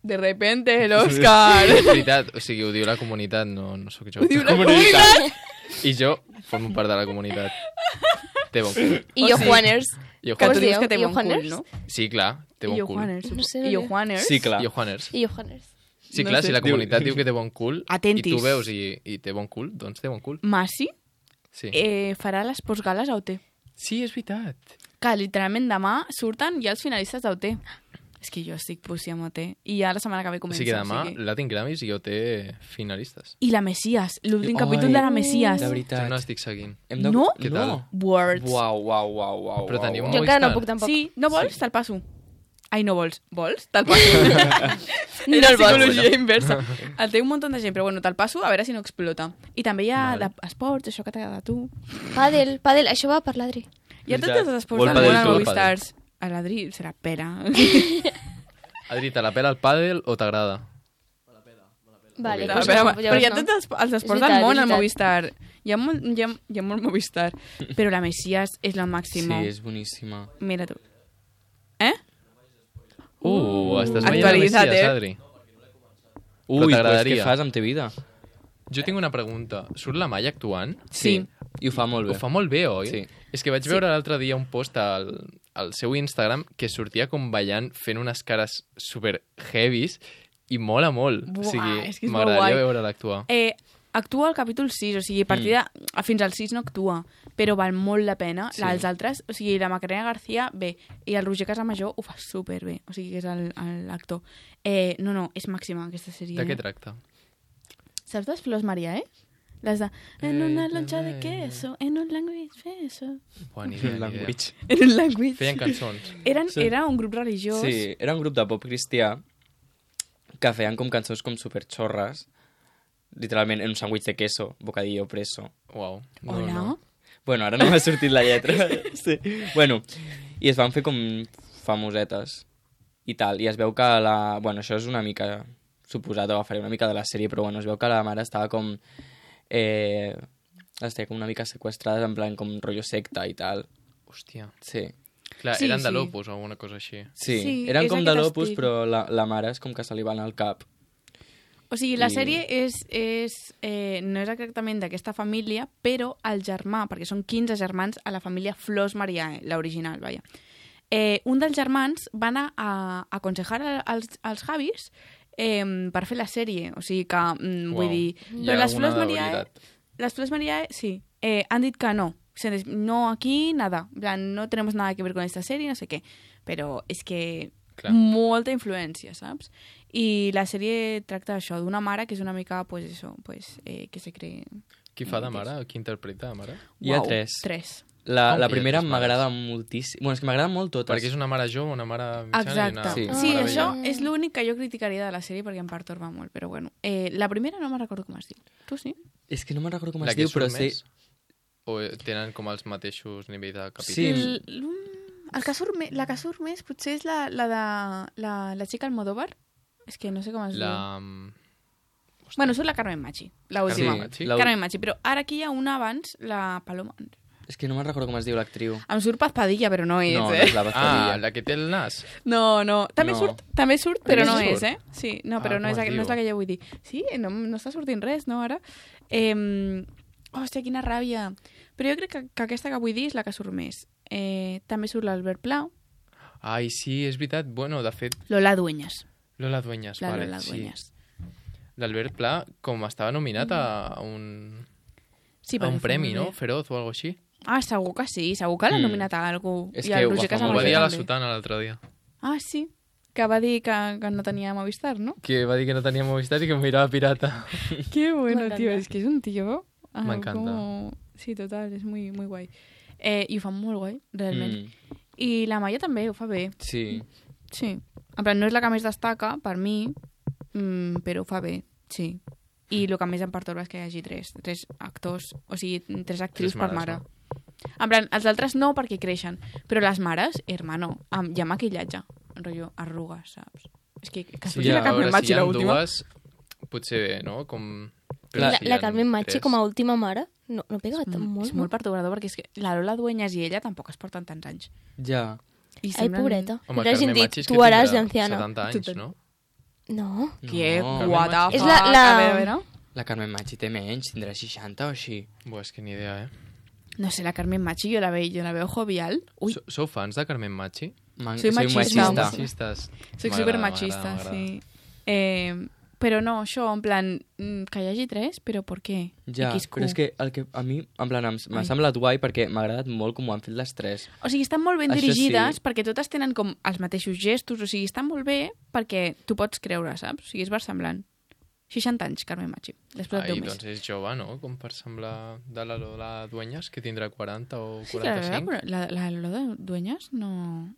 De repente, l'Òscar! És veritat, o sigui, ho diu la comunitat, no, no sóc jo. Ho diu la comunitat! I jo formo part de la comunitat. Té bon cul. I jo, Juaners. Jo Que Com tu es Juan... dius diu? que té I bon cul, Juaners? no? Sí, clar, té I bon Jo cul. Juaners. No sé, I Jo no sé. Juaners. Sí, clar. Jo Juaners. I jo, Juaners. Sí, No clar, sé. si la comunitat diu que té bon cul Atentis. i tu veus i, i té bon cul, doncs té bon cul. Masi Sí, eh, farà les postgales a O T. sí és veritat. Que literalment demà surten ja els finalistes d'O T. És que jo estic pussi amb O T. I ja la setmana que ve O comença. sigui, demà o sigui... Latin Grammys i jo té finalistes. I la Messias, l'últim Ai, capítol de la Messias. De Jo veritat. no estic seguint. Hem de... No? Què tal? No. Words. Uau, uau, uau, uau. Però teniu uau, Jo un encara no Movistar? puc tampoc. Sí, no vols? Te'l passo. Ai, no vols. Vols? Te'l passo. No Era el vols. psicologia inversa. El té un munt de gent, però bueno, te'l passo a veure si no explota. I també hi ha Vale. d'esports, això que t'agrada a tu. Pàdel, pàdel, això va per l'Adri. Hi ha tots Veritat. els esports Vol del món padel al tu? Movistars. A l'Adri serà pera. Adri, te la pela el pàdel o t'agrada? Vale, Ok. Però, pues, però, no, però hi ha no. tots els, els És esports veritat, del món és al veritat. Movistar. Hi ha, molt, hi, ha, hi ha molt Movistar. Però la Messias és la Sí, màxima. és boníssima. Mira tu. Eh? Uh, estàs veient Actualitza't, Messias, eh? Adri? Ui, pues t'agradaria. què fas amb te vida? Jo tinc una pregunta. Surt la Maia actuant? Sí. I ho fa molt bé. Ho fa molt bé, oi? Sí. És que vaig Sí. veure l'altre dia un post al, al seu Instagram que sortia com ballant fent unes cares super heavies i mola molt. Buah, o sigui, és que és molt guai. m'agradaria veure-la actuar. Eh, actua al capítol sis, o sigui, a partir de... Mm. Fins al sis no actua, però val molt la pena. Sí. Sí. Els altres, o sigui, la Macarena García, bé, i el Roger Casamajor ho fa superbé, o sigui, que és el- el- l'actor. Eh, no, no, és màxima aquesta sèrie. De què eh? tracta? Saps les flors Maria, eh? Les de... En Eh, una loncha de eh, queso, en un language beso, Buah, ni idea, ni idea. Language. en un language... Feien cançons. Eren, Sí. Era un grup religiós. Sí, era un grup de pop cristià que feien com cançons com superxorres, literalment en un sàndwich de queso, bocadillo preso. Uau. No, Hola? no. Bueno, ara no m'ha sortit la lletra. Sí. Bueno, i es van fer com famosetes i tal, i es veu que la... Bueno, això és una mica suposat, o faré una mica de la sèrie, però bueno, es veu que la mare estava com... Eh, les tenia com una mica sequestrades, en plan com rotllo secta i tal. Hòstia. Sí. Clar, Sí, eren de sí. l'Opus o alguna cosa així. Sí, Sí, eren és com de aquest l'Opus, estil. però la, la mare és com que se li va anar al cap. O sigui, la I- sèrie és, és, eh, no és exactament d'aquesta família, però el germà, perquè són quinze germans a la família Flors Mariae, l'original, vaja. Eh, un dels germans va anar a, a aconsejar a- als, als Javis eh, per fer la sèrie. O sigui que, mm, vull Uau. dir... Hi Però ha les alguna Flors Mariae, veritat. les Flors Mariae, sí, eh, han dit que no. Se des- No aquí, nada. En plan, no tenemos nada que ver con esta serie, no sé què. Però és que Clar. molta influència, saps? I la sèrie tracta això, d'una mare que és una mica, pues eso, pues, eh, que se cree... Qui fa de mare? Qui interpreta de mare? Hi ha Uau, tres. Tres. La, Com la que hi ha primera tres m'agrada moltíssim. Bueno, és que m'agraden molt totes. Perquè és una mare jove, una mare mitjana Exacte. i una Sí. Sí, mare això vella. és l'únic que jo criticaria de la sèrie perquè em pertorba molt, però bueno. Eh, la primera no me'n recordo com es diu. Tu sí? És que no me'n recordo com La es que diu, però surt sé... més? O tenen com els mateixos nivells de capítol? Sí. El, el que surt me, la que surt més potser és la, la de la, la xica Almodóvar. És que no sé com es diu. La... mm, Bueno, surt la Carmen Machi, la última. Carmen Machi? la- Carmen Machi, però ara aquí hi ha una abans, la Paloma. És que no me'n recordo com es diu l'actriu. Em surt Paz Padilla, però no és, No, no eh? és la Ah, Bastardia. la que té el nas. No, no. També No. surt, també surt, però no També és, surt? eh? Sí, no, però Ah, no, com és, es la- no diu? és la que jo vull dir. Sí, no, no està sortint res, no, ara? Eh, hòstia, quina ràbia. Però jo crec que, que aquesta que vull dir és la que surt més. Eh, també surt l'Albert Plau, Ai, sí, és veritat. Bueno, de fet, Lola Dueñas. Lola Dueñas, La vale, Lola sí. Dueñas. L'Albert Pla, com estava nominat a un, Sí, a perquè un fa premi, molt no? bé. Feroz o alguna així. Ah, segur que sí, segur que l'ha Mm. nominat a algú. És I que el ho Roger fa Ho molt va Casamayor dir a la també. Sotana l'altre dia. Ah, sí? Que va dir que, que no tenia Movistar, ¿no? Que va dir que no tenia Movistar i que em mirava pirata. Qué bueno, M'encanta. tío. Es que es un tío... ah, M'encanta. como- Sí, total, és muy, muy guai. Eh, I ho fa molt guai, realment. Mm. I la Maia també ho fa bé. Sí. Sí. En plan, no és la que més destaca, per mi, mm, però ho fa bé, sí. I el que més em pertorba és que hi hagi tres, tres actors, o sigui, tres actrius Tres per mares, mare. En plan, els altres no, perquè creixen. Però les mares, hermano, amb, hi ha maquillatge. Rotllo, arrugues, saps? És que, que Sí, sí, ja, la a Carmen veure, Machi, si hi ha l'última. dues, potser bé, no? Com... Però La, si hi la ha Carmen Machi tres. com a última mare no, no pega Mm, molt, és molt pertorbador, perquè és que la Lola Dueñas i ella tampoc es porten tants anys. Ja. I Ai, pobreta. Home, Li hagin Carmen dit, Machi és que tu haràs tindrà d'anciana. setanta anys, Total. no? No. Que No. what the És fuck. la- la- A veure, a veure. La Carmen Machi té menys, tindrà seixanta o així. Buah, és que ni idea, eh? No sé, la Carmen Machi, jo la veo, jo la veo jovial. Ui, So- Sou fans de Carmen Machi? Man, Soy soy machista. machista. Machistes. soc M'agrada, supermachista, m'agrada, sí. Eh, però no, això, en plan, mm, que hi hagi tres, però per què? Ja, X Q. però és que, el que a mi, en plan, em- m'ha Ai. semblat guai perquè m'ha agradat molt com ho han fet les tres. O sigui, estan molt ben Això dirigides sí. perquè totes tenen com els mateixos gestos, o sigui, estan molt bé perquè tu pots creure, saps? O sigui, és versemblant. seixanta anys, Carmen Machi. L'has posat Ai, deu més. doncs és jove, no? Com per semblar de la Lola Dueñas, que tindrà quaranta o Sí, que la, quaranta-cinc. la, la, la Lola Dueñas no...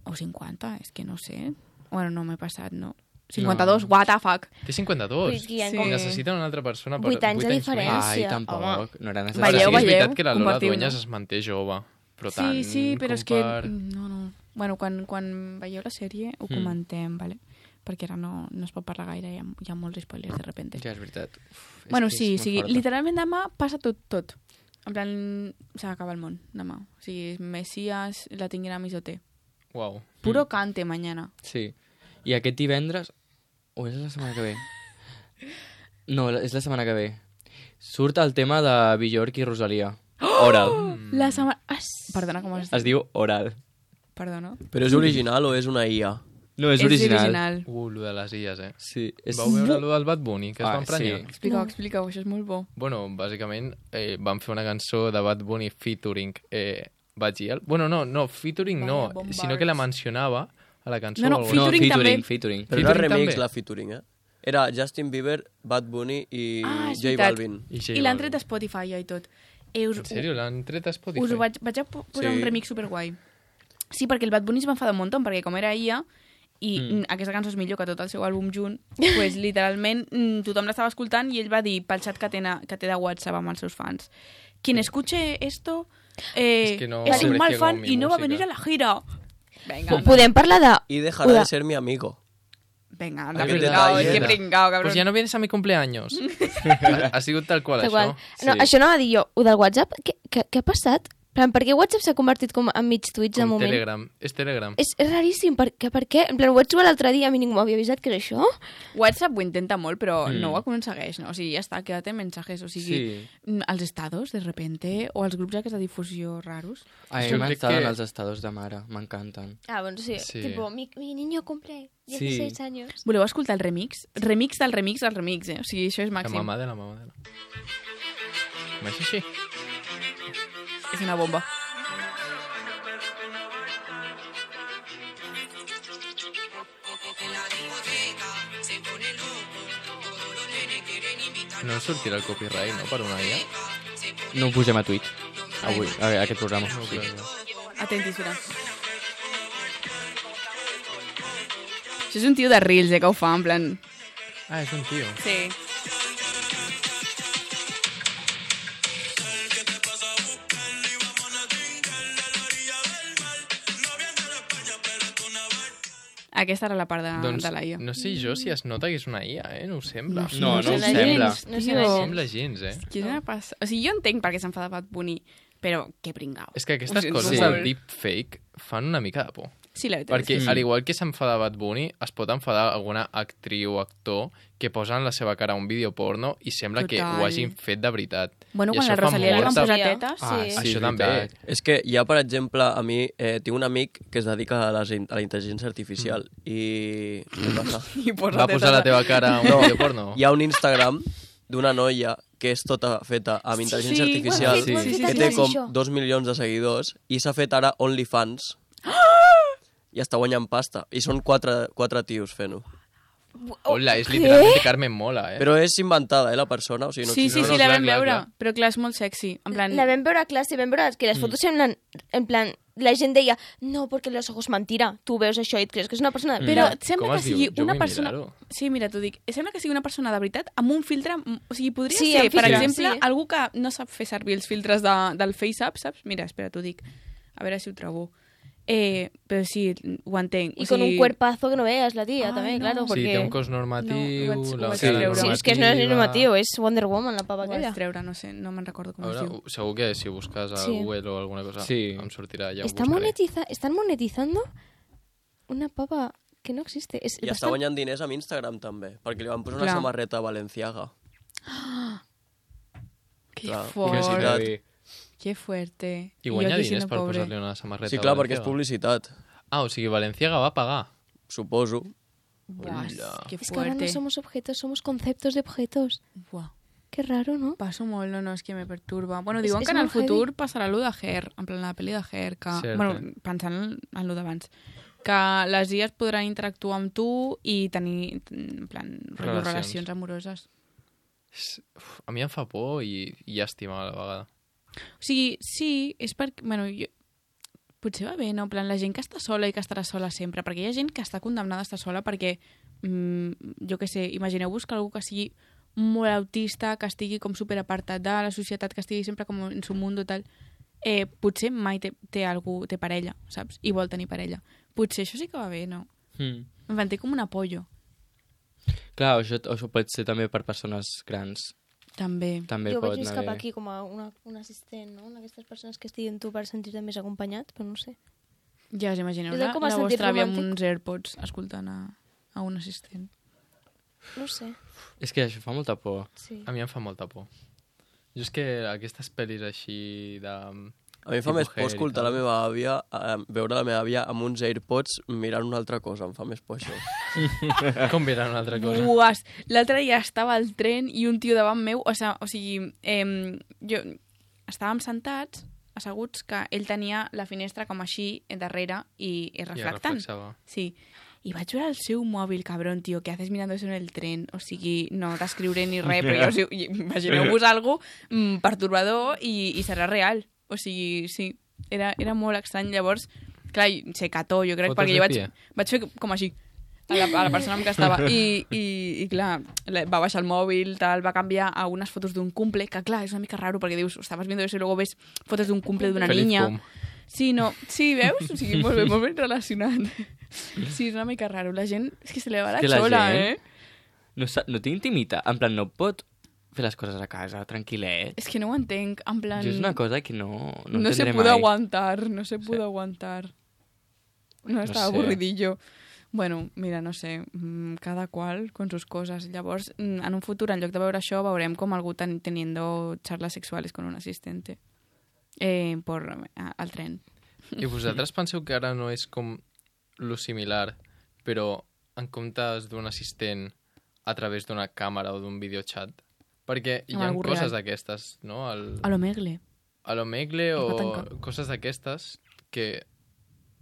O cinquanta, és que no sé. Bueno, no m'he passat, no. cinquanta-dos, No. what the fuck. Té cinquanta-dos. Vull dir, hi ha Sí. com- Necessiten una altra persona per Vuit anys de vuit diferència. més. Ai, Gràcia, tampoc. home. No era Però necessari. Veieu, sí, és veritat veieu? que la Lola Compartiu, Dueñas no? es manté jove, però Sí, tant sí, però com és que... per... No, no. Bueno, quan, quan veieu la sèrie ho Mm. comentem, vale? Perquè ara no, no es pot parlar gaire, hi ha, hi ha molts spoilers de repente. Ja, és veritat. Uf, és Bueno, que és sí, molt sí, forta. literalment demà passa tot, tot. En plan, s'acaba el món, demà. O sigui, Messias la tinguin a Misoté. Uau. Puro cante mañana. Sí. I aquest divendres... O és la setmana que ve? No, és la setmana que ve. Surt el tema de Björk i Rosalia. Oral. La setmana... Ah, perdona, com has dit? Es diu Oral. Perdona. Però és original o és una I A? No, és, original. original. Uh, lo de les illes, eh? Sí. És... Vau veure lo del Bad Bunny, que es Ah, va emprenyar? sí. Explica-ho, No. explica-ho, això és molt bo. Bueno, bàsicament eh, van fer una cançó de Bad Bunny featuring eh, Bajiel. Bueno, no, no, featuring no, Vaya bombars. sinó que la mencionava a la cançó. No, no, o algo featuring així. no, featuring, també. featuring. Però era Featuring remix també. la featuring, eh? Era Justin Bieber, Bad Bunny i Ah, és J veritat. Balvin. I, J I l'han Balvin. tret a Spotify ja i tot. Eh, us, En sèrio? L'han tret a Spotify? us ho vaig, vaig a po- posar Sí. un remix superguai. Sí, perquè el Bad Bunny es va enfadar un munt, perquè com era I A, i Mm. mm. aquesta cançó és millor que tot el seu àlbum junt, pues, literalment mm, tothom l'estava escoltant i ell va dir pel xat que té, na- que té de WhatsApp amb els seus fans: quien escuche esto eh, Es que no es un aprecia mal como fan mi y no va a música. venir a la gira. Venga, anda. Podem parlar de... Y dejará Uda. de ser mi amigo. Venga, anda, Ah, pringao, verdad, és que verdad. pringao, cabrón. Pues ja no vienes a mi cumpleaños. ha, ha sigut tal qual, Tal això. qual. No, això no va dir jo. Ho del WhatsApp, què, què, què ha passat? En plan, per què WhatsApp s'ha convertit com en mig tuits de Com moment? Telegram. És Telegram. És, és raríssim, per, què, per què? En plan, ho vaig trobar l'altre dia, a mi ningú m'havia avisat que era això. WhatsApp ho intenta molt, però Mm. no ho aconsegueix, no? O sigui, ja està, quédate en mensajes, o sigui, Sí. mm, els estados, de repente, o els grups aquests de difusió raros. A mi Jo crec m'estaven que- els estados de mare, m'encanten. Ah, bueno, sí. Sí. Tipo, mi, mi niño cumple dieciséis años. Voleu escoltar el remix? Remix del remix del remix, eh? O sigui, això és La màxim. mamà de la mamà de la... Com és així? És una bomba. No sortirà el copyright, no?, per una I A? No ho posem a Twitch. Avui, a veure, aquest programa. No, Sí. clar, clar. Atentis, mira. Això és un tio de Reels, eh, que ho fa, en plan... Ah, és un tio. Sí. Aquesta era la part de, Doncs de la I A. no sé jo si es nota que és una I A, eh? No ho sembla. No, no sé ho la sembla. gens, No sé Tio. la No gens. sembla gens, eh? Què no. passa? O sigui, jo entenc per què s'enfada Bad Bunny, però que pringao. És que aquestes Ho sento coses molt. del deepfake fan una mica de por. Sí, la veritat. Perquè, és Mm. al igual que s'enfada Bad Bunny, es pot enfadar alguna actriu o actor que posen la seva cara a un vídeo porno i sembla que Total. ho hagin fet de veritat. Bueno, I quan això a fa Rosalia li van molta- posar tetes... Ah, Sí. sí, Això és també. veritat. És que hi ha, per exemple, a mi eh, tinc un amic que es dedica a, les, in- a la intel·ligència artificial Mm. i... Què passa? I posa Va posar la tetes. teva cara a un No. vídeo porno? Hi ha un Instagram d'una noia que és tota feta amb intel·ligència Sí, artificial, ho hem fet, ho hem fet que a té classe, com això. dos milions de seguidors, i s'ha fet ara OnlyFans. I està guanyant pasta. I són quatre, quatre tios fent-ho. Hola, és literalment Carmen Mola, eh? Però és inventada, eh, la persona. O sigui, no Sí, sí, existe. sí, no, la clar, vam clar, veure, clar. però clar, és molt sexy. En plan, La vam veure a classe, vam veure que les fotos semblen, en plan, la gent deia, no, perquè los ojos mentira. Tu veus això i et creus que és una persona... Però Mm. sembla Com que es diu? sigui Jo una vull persona... mirar-ho. Sí, mira, t'ho dic. Sembla que sigui una persona de veritat amb un filtre... O sigui, podria Sí, ser, amb per filtre, exemple, sí. algú que no sap fer servir els filtres de, del FaceApp, saps? Mira, espera, t'ho dic. A veure si ho trobo. Eh, però sí, ho entenc. Y o con sigui... un cuerpazo que no veas la tía Ay, también, no. claro. Sí, Sí, Porque... té un cos normatiu, No, ho vaig- ho la vaig cara treure. Sí, es que no es normativa. normatiu, és Wonder Woman, la pava Ho vaig aquella. treure, no sé, no me'n recordo A com es veure, diu. segur que si busques a Sí. Google o alguna cosa Sí. em sortirà, ja ho Está buscaré. monetiza... Están monetizando una pava que no existe. És I està bastant... guanyant diners amb Instagram, també, perquè li van posar una Clar. samarreta Balenciaga. Que Clar, fort, publicitat. que fuerte. I jo guanya aquí diners sent per pobre. posar-li una samarreta Sí, clar, perquè és Balenciaga. publicitat, Ah, o sigui, Valenciaga va pagar. suposo. Buah, Hola. que Es que ahora no fuerte. somos objetos, somos conceptos de objetos. Buah. Qué raro, ¿no? Passo molt, no, no, és que me perturba. Bueno, És- diuen és que en el molt heavy. futur passarà allò de Hair, en plan la pel·li de Hair, que... Cert, bueno, eh? pensant en, en lo d'abans. Que les I As podran interactuar amb tu i tenir, en plan, rotllo, Relacions. relacions amoroses. És- uf, A mi em fa por i, i llàstima a la vegada. O sigui, sí, és perquè... Bueno, jo, potser va bé, no? En plan, la gent que està sola i que estarà sola sempre, perquè hi ha gent que està condemnada a estar sola perquè, mm, jo què sé, imagineu-vos que algú que sigui molt autista, que estigui com superapartat de la societat, que estigui sempre com en su mundo tal, eh, potser mai té, té algú, té parella, saps? I vol tenir parella. Potser això sí que va bé, no? Mm. En plan, té com un apollo, Clar, això, això pot ser també per persones grans. també. També Jo pot veig més anar cap bé. aquí com a una, un assistent, no? D'aquestes persones que estiguin tu per sentir-te més acompanyat, però no sé. Ja us imagineu És la, com a la sentit vostra àvia amb romàntic. uns AirPods escoltant a, a un assistent. No sé, És que això fa molta por. sí. A mi em fa molta por. Jo és que aquestes pel·lis així de... A mi em fa Tipus més por Hair i escoltar tal. la meva àvia, eh, veure la meva àvia amb uns AirPods mirant una altra cosa, em fa més por això. Com mirar una altra cosa? Buas, l'altre dia estava al tren i un tio davant meu, o, sa, o sigui, eh, jo, estàvem sentats, asseguts, que ell tenia la finestra com així darrere i, i I reflectant. reflexava. Sí. I vaig veure el seu mòbil, cabrón, tio, què haces mirando eso en el tren? O sigui, no t'escriuré ni res, però jo, o sigui, imagineu-vos algo mm, pertorbador i, i serà real. O sigui, sí, era, era molt estrany. Llavors, clar, se cató, jo crec, Fotos perquè de jo vaig, pie. vaig fer com així a la, a la persona amb què estava. I, i, i clar, la- va baixar el mòbil, tal, va canviar a unes fotos d'un cumple, que clar, és una mica raro, perquè dius, estaves viendo eso i luego ves fotos d'un cumple d'una Feliz niña. cum. Sí, no, sí, veus? O sigui, molt bé, molt ben relacionat. Sí, és una mica raro. La gent és que se li va la És que la xola, gent- eh? No, sa- no té intimitat. En plan, no pot fer les coses a casa, tranquil·let. És que no ho entenc, en plan... Jo és una cosa que no, no, No se entendré pudo mai. aguantar, no se pudo aguantar. No, estaba sé. aburridillo. Bueno, mira, no sé, mm, cada qual con sus cosas. Llavors, mm, en un futur, en lloc de veure això, veurem com algú ten teniendo charlas sexuales con un asistente eh, por, a, al tren. I vosaltres penseu que ara no és com lo similar, però en comptes d'un assistent a través d'una càmera o d'un videochat? Perquè hi Amb ha algú coses real. d'aquestes, no? El, A lo megle. a l'Omegle Es va o tancar. coses d'aquestes que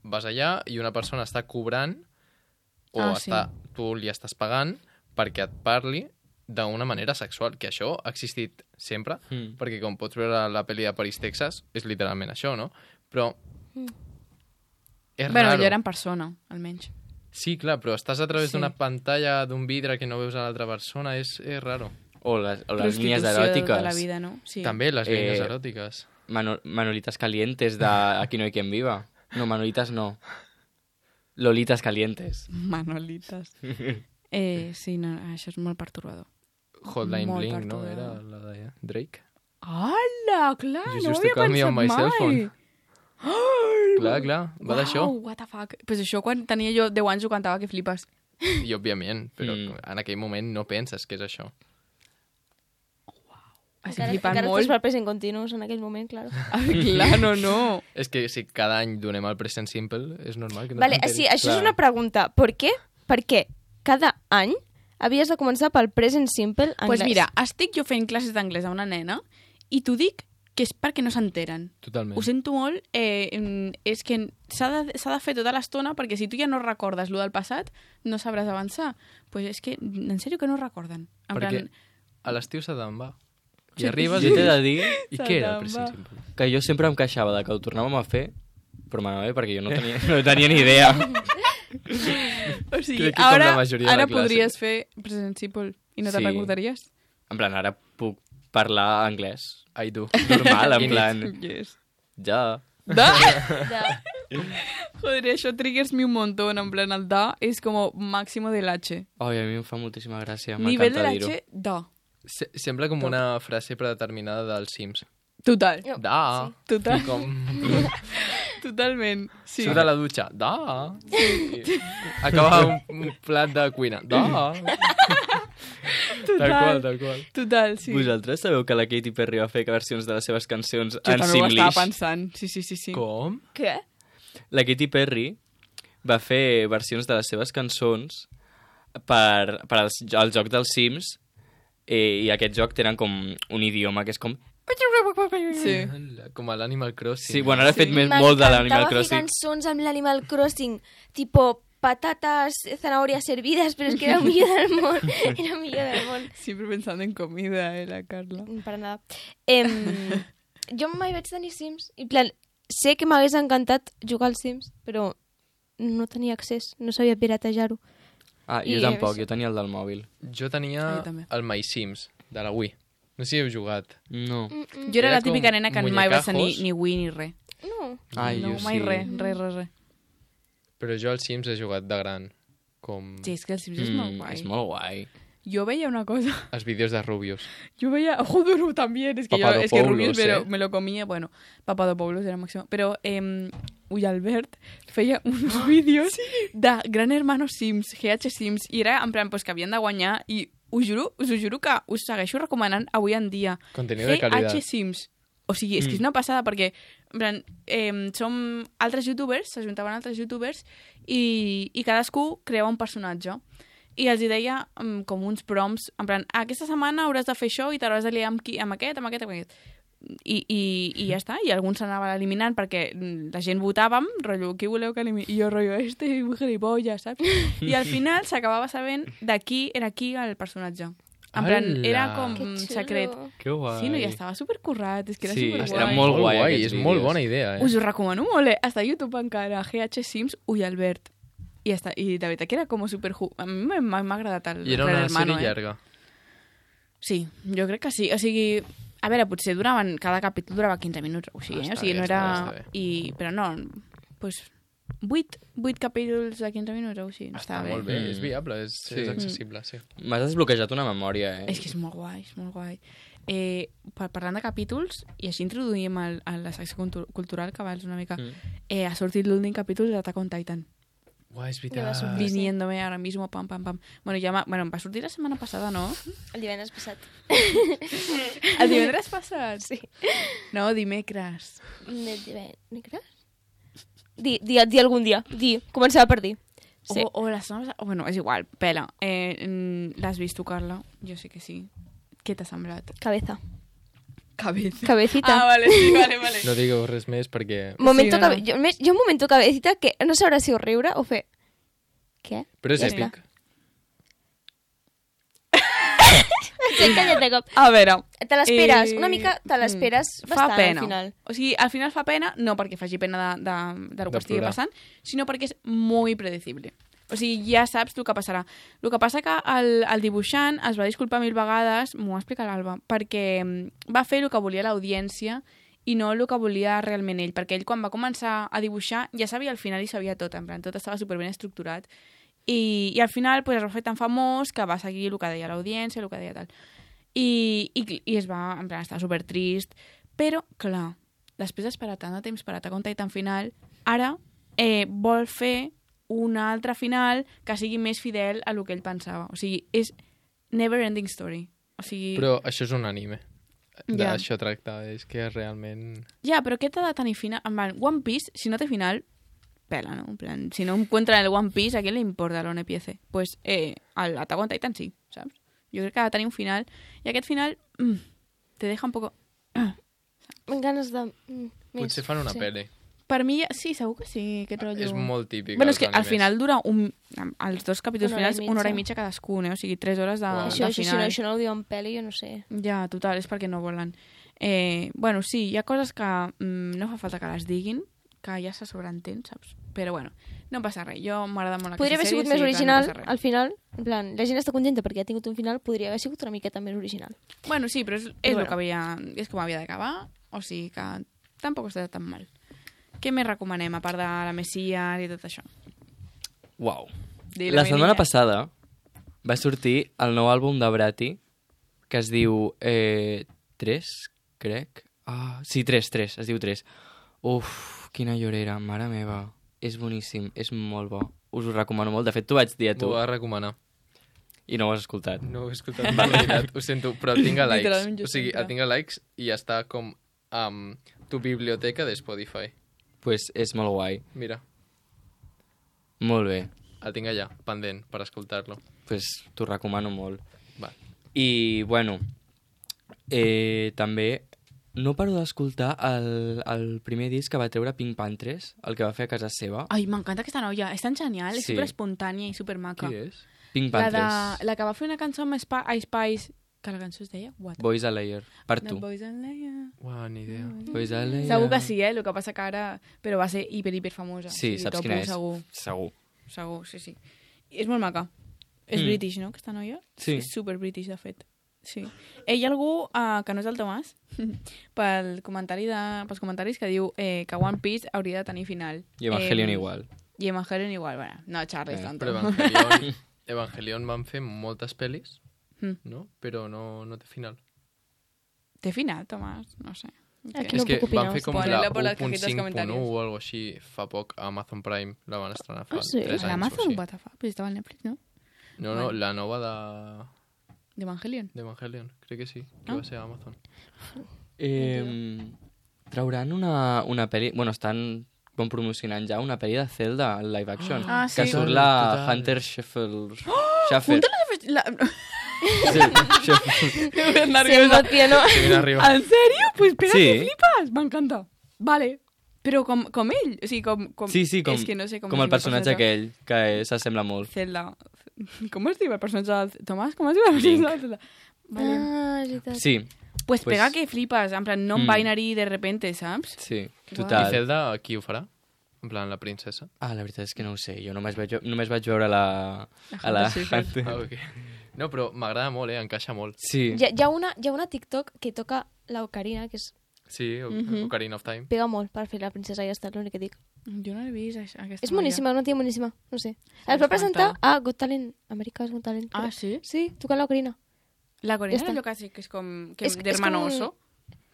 vas allà i una persona està cobrant o Ah, sí. està, tu li estàs pagant perquè et parli d'una manera sexual, que això ha existit sempre, Mm. perquè com pots veure la pel·li de París, Texas, és literalment això, no? Però és Bueno, raro. ja era en persona, almenys. Sí, clar, però estàs a través Sí. d'una pantalla, d'un vidre que no veus a l'altra persona, és, és raro. O les, o les línies Prostitució eròtiques. de la vida, no? Sí. També les línies Eh, eròtiques. Mano, Manolitas calientes de Aquí no hay quien viva. No, Manolitas no. Lolitas calientes. Manolitas. Eh, sí, no, això és molt pertorbador. Hotline Molt Bling, no? perturbador. Era la de Drake. Hola, clar, You no ho used to havia call me pensat on my cell phone. mai. Oh, Clar, clar, va d'això. what the fuck. Pues això quan tenia jo deu anys ho cantava que flipes. I òbviament, però Mm. en aquell moment no penses que és això. Estic Encara, flipant encara molt. estàs per present continuous en aquell moment, claro. Ah, clar, no, no. És que si cada any donem el present simple, és normal que no Vale, t'enteris. sí, això clar. és una pregunta. ¿Por qué? Perquè cada any havies de començar pel present simple anglès. Pues mira, estic jo fent classes d'anglès a una nena i t'ho dic que és perquè no s'enteren. Totalment. Ho sento molt, eh, és que s'ha de, s'ha de fer tota l'estona perquè si tu ja no recordes lo del passat, no sabràs avançar. Pues és que, en sèrio que no recorden. En Perquè plan, a l'estiu se te'n va. I Sí. arribes Jo i... t'he de dir I Se què era el te'n present va. simple? que jo sempre em queixava de que ho tornàvem a fer, però m'anava bé perquè jo no tenia, no tenia ni idea. o sigui, Crec que com ara, la majoria de ara la classe. podries fer present simple i no te'n Sí. recordaries? En plan, ara puc parlar anglès. Ai, tu. Normal, en Quin plan, Yes. ja. Da? De... Joder, això triggers me un montón. En plan, el da és com máximo del H. Ai, a mi em fa moltíssima gràcia, Nivell m'encanta del dir-ho. H, da. Se sembla com una frase predeterminada dels Sims. Total. No, Da. sí. Total. I com... Totalment. Sí. Surt de la dutxa. Da. Sí. Acaba un, un plat de cuina. Da. Total. Tal qual, tal qual. Total, sí. Vosaltres sabeu que la Katy Perry va fer versions de les seves cançons Jo en també ho estava Simlish? pensant. Sí, sí, sí. sí. Com? Què? La Katy Perry va fer versions de les seves cançons per, per als, al joc dels Sims eh, i aquest joc tenen com un idioma que és com... Sí. Com a l'Animal Crossing. Sí, bueno, ara he fet més, molt de M'encantava l'Animal fer Crossing. cançons amb l'Animal Crossing, tipo patatas, zanahorias servidas, pero es que era el millor del món. Era el millor del món. Siempre pensando en comida, eh, la Carla. Per nada. Em, jo mai vaig tenir Sims. I plan, sé que m'hagués encantat jugar als Sims, però no tenia accés, no sabia piratejar-ho. Ah, jo I- tampoc, jo tenia el del mòbil. Jo tenia Ah, jo també. el My Sims, de la Wii. No sé si heu jugat. No. Jo era Era la típica com nena que mai va tenir muñecajos. ni Wii ni res. No. Ai, no, jo mai sí. res, res, res, res. Però jo als Sims he jugat de gran. Com Sí, és que el Sims és molt guai. és molt guai. Jo veia una cosa, els vídeos de Rubius. yo veía, joder, también, es que yo, es que Papadopoulos, Rubius me, lo, eh. me lo comía, bueno, Papadopoulos era máximo, pero eh, Uy Albert feia uns vídeos de Gran Hermano Sims, G H Sims, i era en plan pues, que havien de guanyar, i us juro, us ho juro que us segueixo recomanant avui en dia. Contenido de G H calidad. Sims. O sigui, és que és una passada perquè en plan, eh, som altres youtubers, s'ajuntaven altres youtubers i, i cadascú creava un personatge. I els hi deia um, com uns prompts, en plan, aquesta setmana hauràs de fer això i t'hauràs de liar amb, qui, amb aquest, amb aquest, amb aquest. I, i, i ja està, i alguns s'anaven eliminant perquè la gent votàvem, rotllo, qui voleu que elimini? I jo, rotllo, este és un gilipollas, saps? I al final s'acabava sabent de qui era qui el personatge. En plan, Ala! era com Que xulo. secret. Que guai. Sí, no, i estava supercurrat, és que era Sí, superguai. era molt guai, aquests és molt vídeos. bona idea, eh? Us ho recomano molt, eh? Està a YouTube encara, G H Sims, Uy Albert. I, ja està. I de veritat que era com super... A mi m'ha m'ha agradat el I era Gran una Hermano, sèrie eh? llarga. Sí, jo crec que sí. O sigui, a veure, potser duraven... Cada capítol durava quinze minuts o així, Ah, eh? està O sigui, bé, no està era... bé, està bé. I... Però no, pues... vuit, vuit capítols de quinze minuts o així. Està Està bé. molt bé, Mm. és viable, és, Sí. és accessible, sí. M'has desbloquejat una memòria, eh? És que és molt guai, és molt guai. Eh, par parlant de capítols, i així introduïm el, a la secció cultu cultural, que abans una mica, Mm. eh, ha sortit l'últim capítol d'Attack on Titan. Uai, és Ja va veritat. sortir. Viniéndome ahora mismo, pam, pam, pam. Bueno, ja va, bueno, em va sortir la setmana passada, no? El divendres passat. El divendres passat? Sí. No, dimecres. De divendres? Di, di, di algun dia. Di. Començava per dir. Sí. O, o la setmana passada... Bueno, és igual, pela. Eh, mm, L'has vist tu, Carla? Jo sé que sí. Què t'ha semblat? Cabeza. Cabeza. Cabecita. Ah, vale, sí, vale, vale. No digueu res més perquè... Momento Sí, no, no. cabe... jo, més, jo un momento cabecita que no sabrà si ho riure o fer... Què? Però és Ja èpic. S'ha encallat de cop. A veure... Te l'esperes, Eh, una mica te l'esperes mm, bastant fa pena. al final. O sigui, al final fa pena, no perquè faci pena de, de, de lo De que estigui plorar. passant, sinó perquè és molt predecible. O sigui, ja saps el que passarà. El que passa que el, el dibuixant es va disculpar mil vegades, m'ho va explicar l'Alba, perquè mm, va fer el que volia l'audiència i no el que volia realment ell, perquè ell quan va començar a dibuixar ja sabia al final i sabia tot, en plan, tot estava superben estructurat. I, i al final pues, es va fer tan famós que va seguir el que deia l'audiència, el que deia tal. I, i, i es va, en plan, estava super trist. Però, clar, després d'esperar tant de temps per Attack on Titan final, ara eh, vol fer un altre final que sigui més fidel a lo que ell pensava. O sigui, és never ending story. O sigui... Però això és un anime. Ja. D'això tracta, és que realment... Ja, però què t'ha de tenir final? En plan, One Piece, si no té final, pela, ¿no? En plan, si no encuentran el One Piece, ¿a quién le importa l'One Piece? Pues eh, al Attack on Titan sí, saps? Jo crec que ha de tenir un final, i aquest final mm, te deja un poco... Amb ganes de... Mm, més. Potser fan una sí. pel·li. Per mi, sí, segur que sí, aquest rotllo... És molt típic. Bueno, és als que al animes. final dura un... Els dos capítols Una hora i finals, mitja. una hora i mitja cadascun, eh? O sigui, tres hores de, Wow. Això, de això, si no, final. això no ho diuen pel·li, jo no sé. Ja, total, és perquè no volen. Eh, bueno, sí, hi ha coses que mm, no fa falta que les diguin, que ja se sobreentén, saps? Però bueno, no passa res. Jo m'agrada molt Podria haver aquesta sigut sèrie, més sí, original, que no passa res. al final. En plan, la gent està contenta perquè ha tingut un final, podria haver sigut una miqueta més original. Bueno, sí, però és, és Però el bueno. que havia... És com havia d'acabar, o sigui que tampoc està tan mal. Què més recomanem, a part de la Messias i tot això? Uau. Dilo, La mi setmana niña. passada va sortir el nou àlbum de Brati, que es diu eh, tres, crec. Ah, sí, tres, tres, es diu tres. Uf, quina llorera, mare meva. És boníssim, és molt bo. Us ho recomano molt. De fet, t'ho vaig dir a tu M'ho va recomanar. i no ho has escoltat. No ho he escoltat, en veritat, ho sento, però tinc a Literalment likes. jo O sigui, sempre. tinc a likes i està com amb tu biblioteca de Spotify. Pues és molt guai. Mira, Molt bé. el tinc allà, pendent, per escoltar-lo. Pues t'ho recomano molt. Va. I, bueno, eh, també no paro d'escoltar el, el primer disc que va treure Pink Panthers, el que va fer a casa seva. Ai, m'encanta aquesta noia, és tan genial, és Sí. super espontània i super maca. Qui és? Pink La, Panthers. de, la que va fer una cançó amb Sp Ice Spice, que la cançó es deia What? Boys a Layer. Per The tu. Boys and Leia. Uau, ni idea. Boys a Layer. Segur que sí, eh? El que passa que ara... Però va ser hiper, hiper famosa. Sí, O sigui, saps topo quina és? Segur, Segur. segur, sí, sí. I és molt maca. És Mm. british, no, aquesta noia? Sí. És super british, de fet. Sí. Eh, hi ha algú uh, que no és el Tomàs, pel comentari de, pels comentaris que diu eh, que One Piece hauria de tenir final. I Evangelion Eh, igual. I Evangelion igual, bueno, no xarris Eh, tant. Però Evangelion, Evangelion van fer moltes pel·lis, Mm. no? Però no, no té final. Té final, Tomàs? No sé. Aquí és no que puc opinar, van fer com Ponelo la por las u punt cajitas cinc punt comentarios. u o algo així fa poc a Amazon Prime. La van estrenar fa Ah, sí? tres anys o L'Amazon, així. what the fuck? Però estava al Netflix, no? No, no, Vale. la nova de D'Evangelion. d'Evangelion. Crec que sí, que Ah. va ser a Amazon. Eh, trauran una, una pel·li... Bueno, estan com promocionant ja una pel·li de Zelda live action. Ah, Que sí. surt Total, la total. Hunter Sheffield. Sheffer. La... Sí, Sheffield. Sembla el piano. Que viene arriba. ¿En serio? Pues pega Sí. que flipas. M'encanta. Vale. Però com, com ell. O sigui, com, com... Sí, sí, com, És que no sé com, com es el diu personatge personatge. aquell, que s'assembla molt. Zelda. Com es diu el personatge de... Tomàs, com es diu el personatge de Zelda? Vale. Ah, és veritat. Sí, Pues, pues- pega que flipes. En plan, no Mm. mm. binary de repente, saps? sí, I total. Zelda, qui ho farà? En plan, la princesa? Ah, la veritat és que no ho sé. Jo només vaig, només vaig veure la... La a la Hunter Sheffield. Hunter. Ah, ok. No, però m'agrada molt, eh? Encaixa molt. Sí. Hi ha, hi, ha una, hi ha una TikTok que toca la Ocarina, que és, Sí, o Mhm. Ocarina of Time. pega molt per fer la princesa i ja està, l'únic que dic. Jo no l'he vist, això, aquesta És noia. boníssima, una tia boníssima, no sé. S'ha Es va presentar desconnectat. a Got Talent, America's Got Talent. Ah, crec. sí? Sí, tocant l'Ocarina. La coreana Ja és està. allò que sí que és com... Que És- és, és d'hermano com un- oso.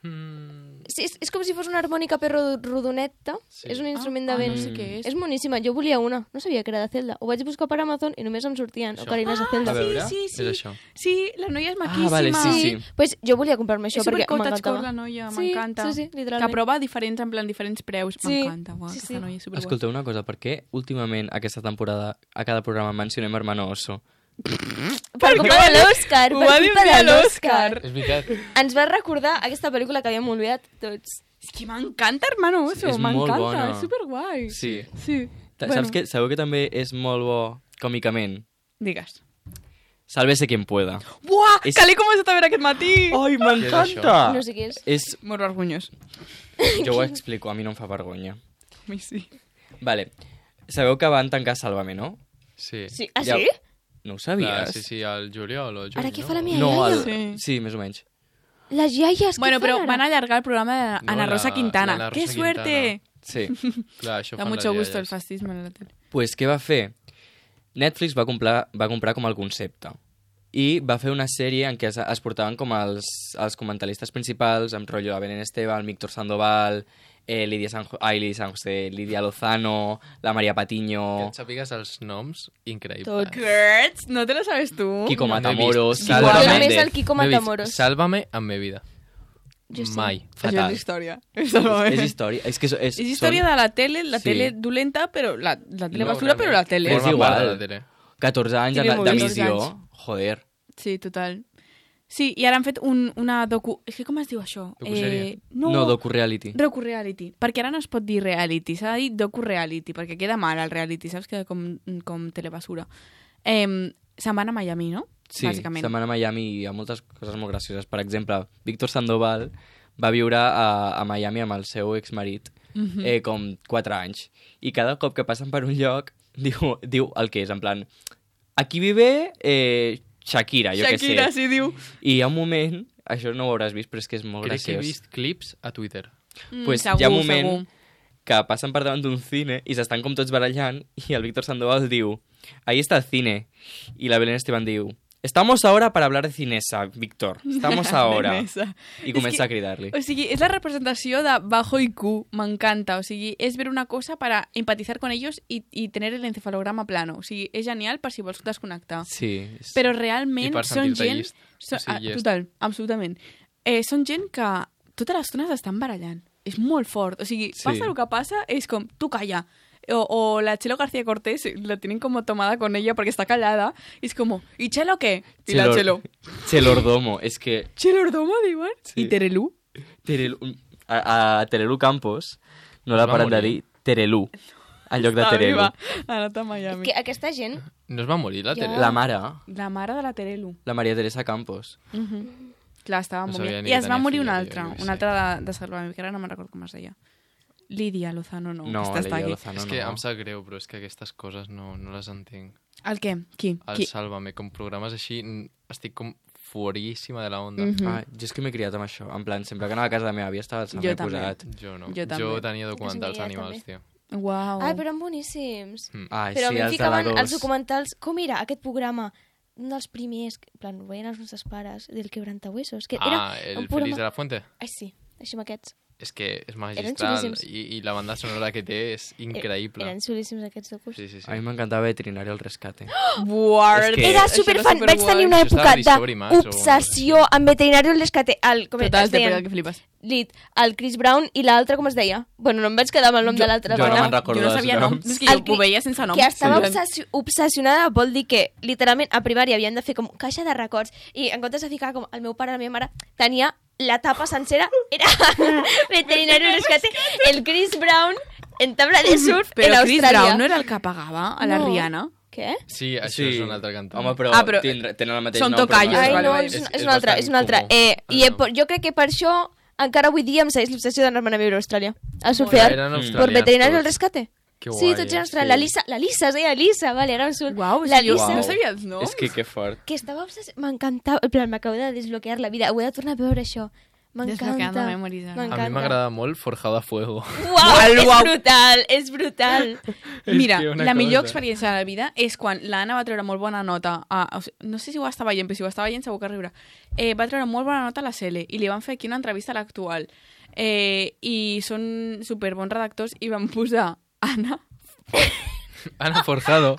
Mm, Sí, és, és com si fos una harmònica però rodoneta. Sí. És un instrument ah, de ah, vent. no sé què és. És boníssima, jo volia una. No sabia que era de Zelda. Ho vaig buscar per Amazon i només em sortien Això. ocarines de Zelda. A veure. Sí, sí, sí. és això. Sí, la noia és maquíssima. Ah, vale, sí, sí. Pues jo volia comprar-me això És perquè supercottagecore, la m'encantava. noia, Sí, m'encanta. sí, sí, Que literalment. prova diferents, en plan, diferents preus. Sí, M'encanta, uau, sí, aquesta sí. noia és superguai. Escolteu una cosa, per què últimament aquesta temporada a cada programa mencionem Hermano Oso? Per culpa de l'Òscar, Ho per va dir culpa un dia de l'Òscar. l'Òscar. És veritat. Ens va recordar aquesta pel·lícula que havíem oblidat tots. És que m'encanta Hermano Oso, És molt m'encanta, bona. és superguai. Sí. Sí. Ta- Saps que, sabeu que també és molt bo còmicament? Digues. Sálvese quien pueda. Buah, És- que l'he començat a veure aquest matí. Ai, m'encanta! No sé què és. És... Molt vergonyós. Jo ho explico, a mi no em fa vergonya. A mi sí. Vale. Sabeu que van tancar Sálvame, no? Sí. Sí. Ah, Ja- sí? No ho Clar, sabies? sí, sí, al juliol o juny, Ara què no? fa la meva No, iaia? el... Sí. sí, més o menys. Les iaies, què Bueno, fan però ara? van allargar el programa de No, Ana la- Rosa Quintana. la Ana ¡Qué Rosa suerte! Sí. Clar, això Da fan mucho les gusto el iaies. fascismo en la tele. Pues què va fer? Netflix va comprar, va comprar com el concepte i va fer una sèrie en què es, es portaven com els, els comentaristes principals, amb rotllo a Belén Esteban, Víctor Sandoval, eh, Lídia San, ai, Lídia San José, Lídia Lozano, la Maria Que Patiño, et sàpigues els noms, increïble. Tot. Gertz, ¿no te lo sabes tú? Kiko No, no he Matamoros, vist. Salva Jo Igual. només Méndez. el Kiko No he vist Matamoros. Sálvame en mi vida. Jo sí. Mai. Això Fatal. és història. És, és història. És, que és, és, És història són... de la tele, la Sí. tele dolenta, però la, la tele No, basura, però la tele. És Forma igual. part de la tele. catorze anys T V de, de Movies. missió. catorze Joder. Sí, total. Sí, i ara han fet un, una docu... És que com es diu això? Docusèrie? no, No, docu-reality. Docu-reality. Perquè ara no es pot dir reality, s'ha de dir docu-reality, perquè queda mal el reality, saps? Queda com, com telebasura. Eh, se'n van a Miami, no? Sí, Bàsicament. se'n van a Miami i hi ha moltes coses molt gracioses. Per exemple, Víctor Sandoval va viure a, a Miami amb el seu exmarit Mhm. eh, com quatre anys. I cada cop que passen per un lloc diu, diu el que és, en plan, aquí vive eh, Shakira, jo Shakira, què sé. sí, diu. I hi ha un moment, això no ho hauràs vist, però és que és molt Crec que he graciós. vist clips a Twitter. Mm, Pues segur, hi ha un moment segur. que passen per davant d'un cine i s'estan com tots barallant i el Víctor Sandoval diu, ahí está el cine. I la Belén Esteban diu, estamos ahora para hablar de cinesa, Víctor. Estamos ahora. Nesa. I És comença que- a cridar-li. O sigui, és la representació de bajo I Q, m'encanta. O sigui, és ver una cosa para empatizar con ellos y, y tener el encefalograma plano. O sigui, és genial per si vols desconnectar. Sí. és- Però I realment per són sentir-te gent... llest. So, O sigui, ah, llest. total, absolutament. Eh, són gent que tota l'estona s'estan barallant. És molt fort. O sigui, Sí. passa el que passa, és com, tu calla. O, o la Chelo García Cortés la tienen como tomada con ella porque está callada. Y es como, ¿y Chelo qué? Y la Chelo. Chelordomo. És que Chelordomo, diuen? Sí. I Terelu? Terelu, a, a Terelu Campos no la Es va paren de morir. dir Terelu, en lloc de Està Terelu. viva. Ha anat a Miami. Que aquesta gent... No es va morir la Ja. tele? La mare, La mare de la Terelu. la Maria Teresa Campos. Clar, estava No molt sabia bé. ni I que es va tenia morir filla, una jo altra, què sé. una altra de, de Salvador, que ara no me'n recordo com es deia. Lídia Lozano, no. No, aquesta està Lídia aquí. Lozano És que no. em sap greu, però és que aquestes coses no, no les entenc. El què? Qui? El Qui? Sálvame, com programes així, n- estic com fueríssima de la onda. Mhm. Ah, jo és que m'he criat amb això. En plan, sempre que anava a casa de la meva àvia estava el Jo Sálvame també. posat. Jo no. Jo també. Jo tenia documentals meva animals, també. tio. Uau. Ai, però eren boníssims. Mm. Ai, Però a sí, mi em els de la ficaven dos. els documentals... Com era aquest programa? Un dels primers, en plan, ho veien els nostres pares, del Quebrantahuesos. Que era Ah, el un Feliz programa... de la Fuente. Ai, sí, així amb aquests. És que és Eren magistral xulíssims. i, i la banda sonora que té és increïble. Eren xulíssims aquests docus. Sí, sí, sí. A mi m'encantava Veterinario al Rescate. Buah, És que- Era això superfan, vaig superguai. tenir una Això estava època a Discovery Max o- d'obsessió amb Veterinario al Rescate. El, com Total, es te deien? pega que flipes. Lit, el Chris Brown i l'altre, com es deia? Bueno, no em vaig quedar amb el nom de l'altre. jo no dona. me'n recordo Jo no dels sabia nom. noms. És que El jo que- ho veia sense nom. Que estava Sí. obsessi obsessionada vol dir que, literalment, a primària havien de fer com caixa de records i en comptes de ficar com el meu pare, la meva mare, tenia la tapa sencera, era Veterinario al Rescate, el Chris Brown en tabla de surf en Però Chris Austràlia. Brown no era el que pagava a la No. Rihanna? Què? Sí, això Sí. és un altre cantant. Home, però, Ah, però- tindre- tenen el mateix Són nom. però tocallos, no Ai, és- vale, no, vale. és, És- una- és és una altra, bastant és una altra. comú. Eh, I Ah, eh, no. per- jo crec que per això encara avui dia em segueix l'obsessió d'anar-me'n a viure a Austràlia. A surfear. Eren Mm. Por australians Veterinario al tots. Rescate. Que Sí, guai, tots eh? eren australians. La Sí. Lisa, la Lisa, es deia Lisa, vale, era un surt. Uau, la sí, jo Lisa. no sabia els noms. És que que fort. Que estava obsessionada. M'encantava. En plan, m'acabo de desbloquear la vida. Ho he de tornar a veure, això. Desbloqueando M'encanta. memories, ara. A mi M'encanta. m'agrada molt Forjado a Fuego. Uau, és Uau. brutal, és brutal. Mira, És que una la millor cosa. experiència de la vida és quan l'Anna va treure molt bona nota. A, o sigui, no sé si ho estava veient, però si ho estava veient segur que riure. Eh, va treure molt bona nota a la C L i li van fer aquí una entrevista a l'actual. Eh, I són superbons redactors i van posar Anna Ana Forjado.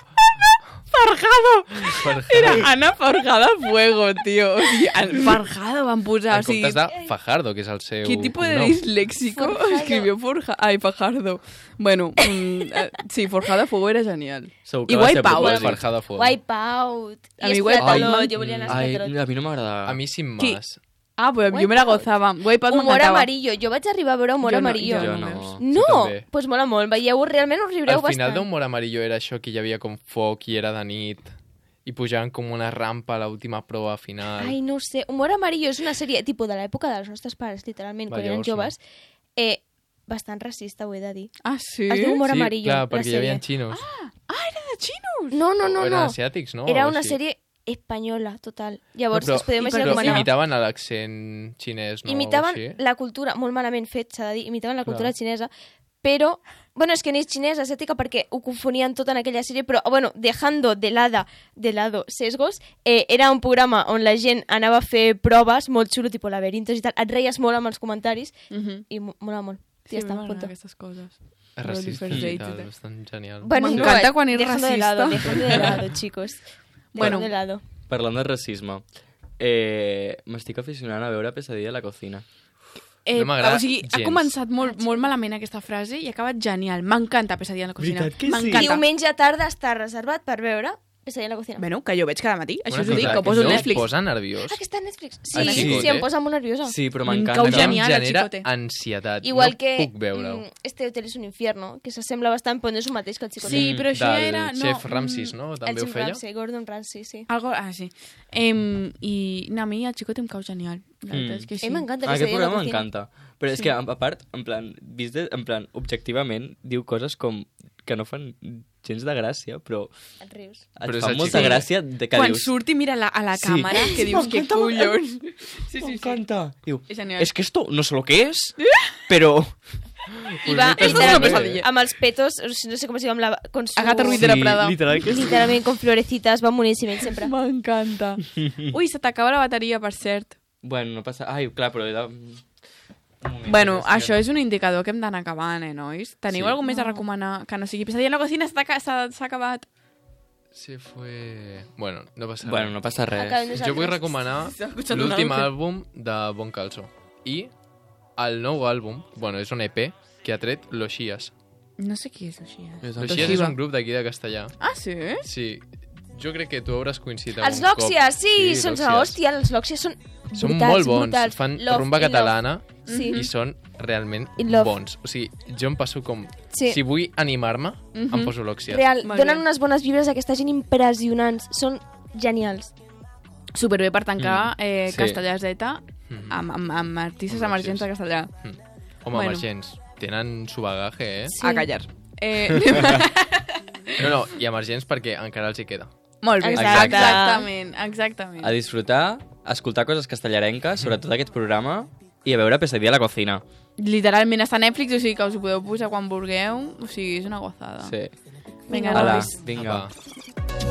Farjado! Forjado. Era Anna Farjada Fuego, tio. O sigui, el Farjado van posar. En O sigui, comptes de Fajardo, que és el seu ¿qué tipo de cognom. disléxico Forjado. escribió Forja? Ay, Fajardo. Bueno, mm, eh, sí, Forjada Fuego era genial. Segur que I va ser Wipeout. propòsit. Farjado a Fuego. Wipeout. A I mi Esclatalot. Wipeout- Jo volia anar a Ai, Esclatalot. a mi no m'agrada. A mi sin Qui? más. Ah, pues jo me la gozava. Wipeout Humor m'encantava. amarillo. Jo vaig arribar a veure Humor Jo no, amarillo. jo Jo no. no. No, Jo també. pues mola molt. Veieu, realment us riureu Al final bastant. d'Humor Amarillo era això que hi havia com foc i era de nit i pujaven com una rampa a l'última prova final. Ai, no ho sé. Humor amarillo és una sèrie tipus de l'època dels nostres pares, literalment, Va, quan eren llavors no. joves. Eh, bastant racista, ho he de dir. Ah, sí? Es diu Humor sí, amarillo, clar, la perquè hi sèrie. havia xinos. de xinos! No, no, no, o eren no. asiàtics, no? Era O una així. sèrie espanyola, total. Llavors, No, us podeu i imaginar però com Però anava. imitaven l'accent xinès, no? Imitaven O així? la cultura, molt malament fet, s'ha de dir, imitaven la cultura Clar. xinesa, però, bueno, és que ni és xinesa, asiàtica, perquè ho confonien tot en aquella sèrie, però, bueno, dejando de lado, de lado sesgos, eh, era un programa on la gent anava a fer proves molt xulo, tipus laberintos i tal, et reies molt amb els comentaris, Mhm. i mo- mola molt. Sí, ja està, m'agraden punto. aquestes coses. És racista First i Date i tal, tal. bastant genial. Bueno, M'encanta no, quan és dejando de lado, racista. dejando de lado, chicos. Bueno. Dejando de lado. Parlant de racisme, eh, m'estic aficionant a veure Pesadilla a la cocina. Eh, No m'agrada o sigui, ha gens. començat molt, molt malament aquesta frase i ha acabat genial. M'encanta Pesadilla en la cocina. Veritat que sí? M'encanta. Diumenge tarda està reservat per veure Pesadilla en la cocina. Bueno, que jo veig cada matí. Això Una us ho dic, cosa, que ho poso no a us Netflix. posa nerviós? Ah, que està a Netflix. Sí, Ah, sí, sí? sí, em posa molt nerviosa. Sí, però Em m'encanta. cau que- genial. Em el genera Chicote. ansietat. Igual no que puc veure-ho. mm, Este hotel és un infierno, que s'assembla bastant, però no és el mateix que el Chicote. Sí, però això ja Del era... No, chef Ramsay, no? el També ho Jim feia? Ramsay, Gordon Ramsay, sí. Algo, ah, sí. Em, I no, a mi el Chicote em cau genial. La veritat Mm. és que sí. A mi m'encanta Ah, aquest Pesadilla en la programa cocina. m'encanta. Però és que, a a part, en plan, vist de, en plan, objectivament, diu coses com que no fan gens de gràcia, però Et rius. et Però és fa el molta Chicote. gràcia de que Quan dius... surt i mira la, a la Sí. càmera, que dius, que M'encanta, collons. Sí, sí, sí. M'encanta. Diu, És genial. es que esto no sé lo que es, pero... I va, Pues Esto és una literalment, pesadilla. amb els petos, no sé com es diu, amb la... Con su... Agatha Ruiz de la Prada. literal que sí. Literalment, con florecitas, va boníssim, ell sempre. M'encanta. Ui, se t'acaba la bateria, per cert. Bueno, no passa... Ai, clar, però era... Un moment, Bueno, que això és un indicador que hem d'anar acabant, eh, nois? Teniu Sí. alguna més a recomanar que no sigui Pesadilla en la cocina? S'ha aca- S'ha s'ha acabat. Se fue... Bueno, no passa Bueno, res. no passa res. Acabem nosaltres. Jo vull recomanar S'ha escuchat un l'últim àngel. àlbum de Bon Calzo. I el nou àlbum, bueno, és un E P que ha tret Los Xias. No sé qui és així. Eh? Los Xias és un grup d'aquí de Castellà. Ah, sí? Sí, jo crec que tu hauràs coincidit Els algun cop. Lòxies, sí, són Lòxies. hòstia, els Lòxies són Són brutals, molt bons, brutals. fan Love rumba in love. catalana Sí. i són realment In love. bons. O sigui, jo em passo com... Sí. Si vull animar-me, em poso Lòxies. Real, Molt donen bé. unes bones vibres a aquesta gent impressionants. Són genials. Superbé per tancar Mm. eh, Sí. Castellà Z Mhm. amb, amb, amb artistes Amb emergents de Castellà. Mm. Home, Bueno. emergents. Tenen su bagaje, eh? Sí. A callar. Eh, No, no, i emergents perquè encara els hi queda. molt bé. Exacte. Exactament, exactament. A disfrutar, a escoltar coses castellarenques, sobretot aquest programa, i a veure Pesadilla a la cocina. Literalment està a Netflix, o sigui que us ho podeu posar quan vulgueu. O sigui, és una gozada. Sí. Vinga, Hola, nois. vinga. Apa.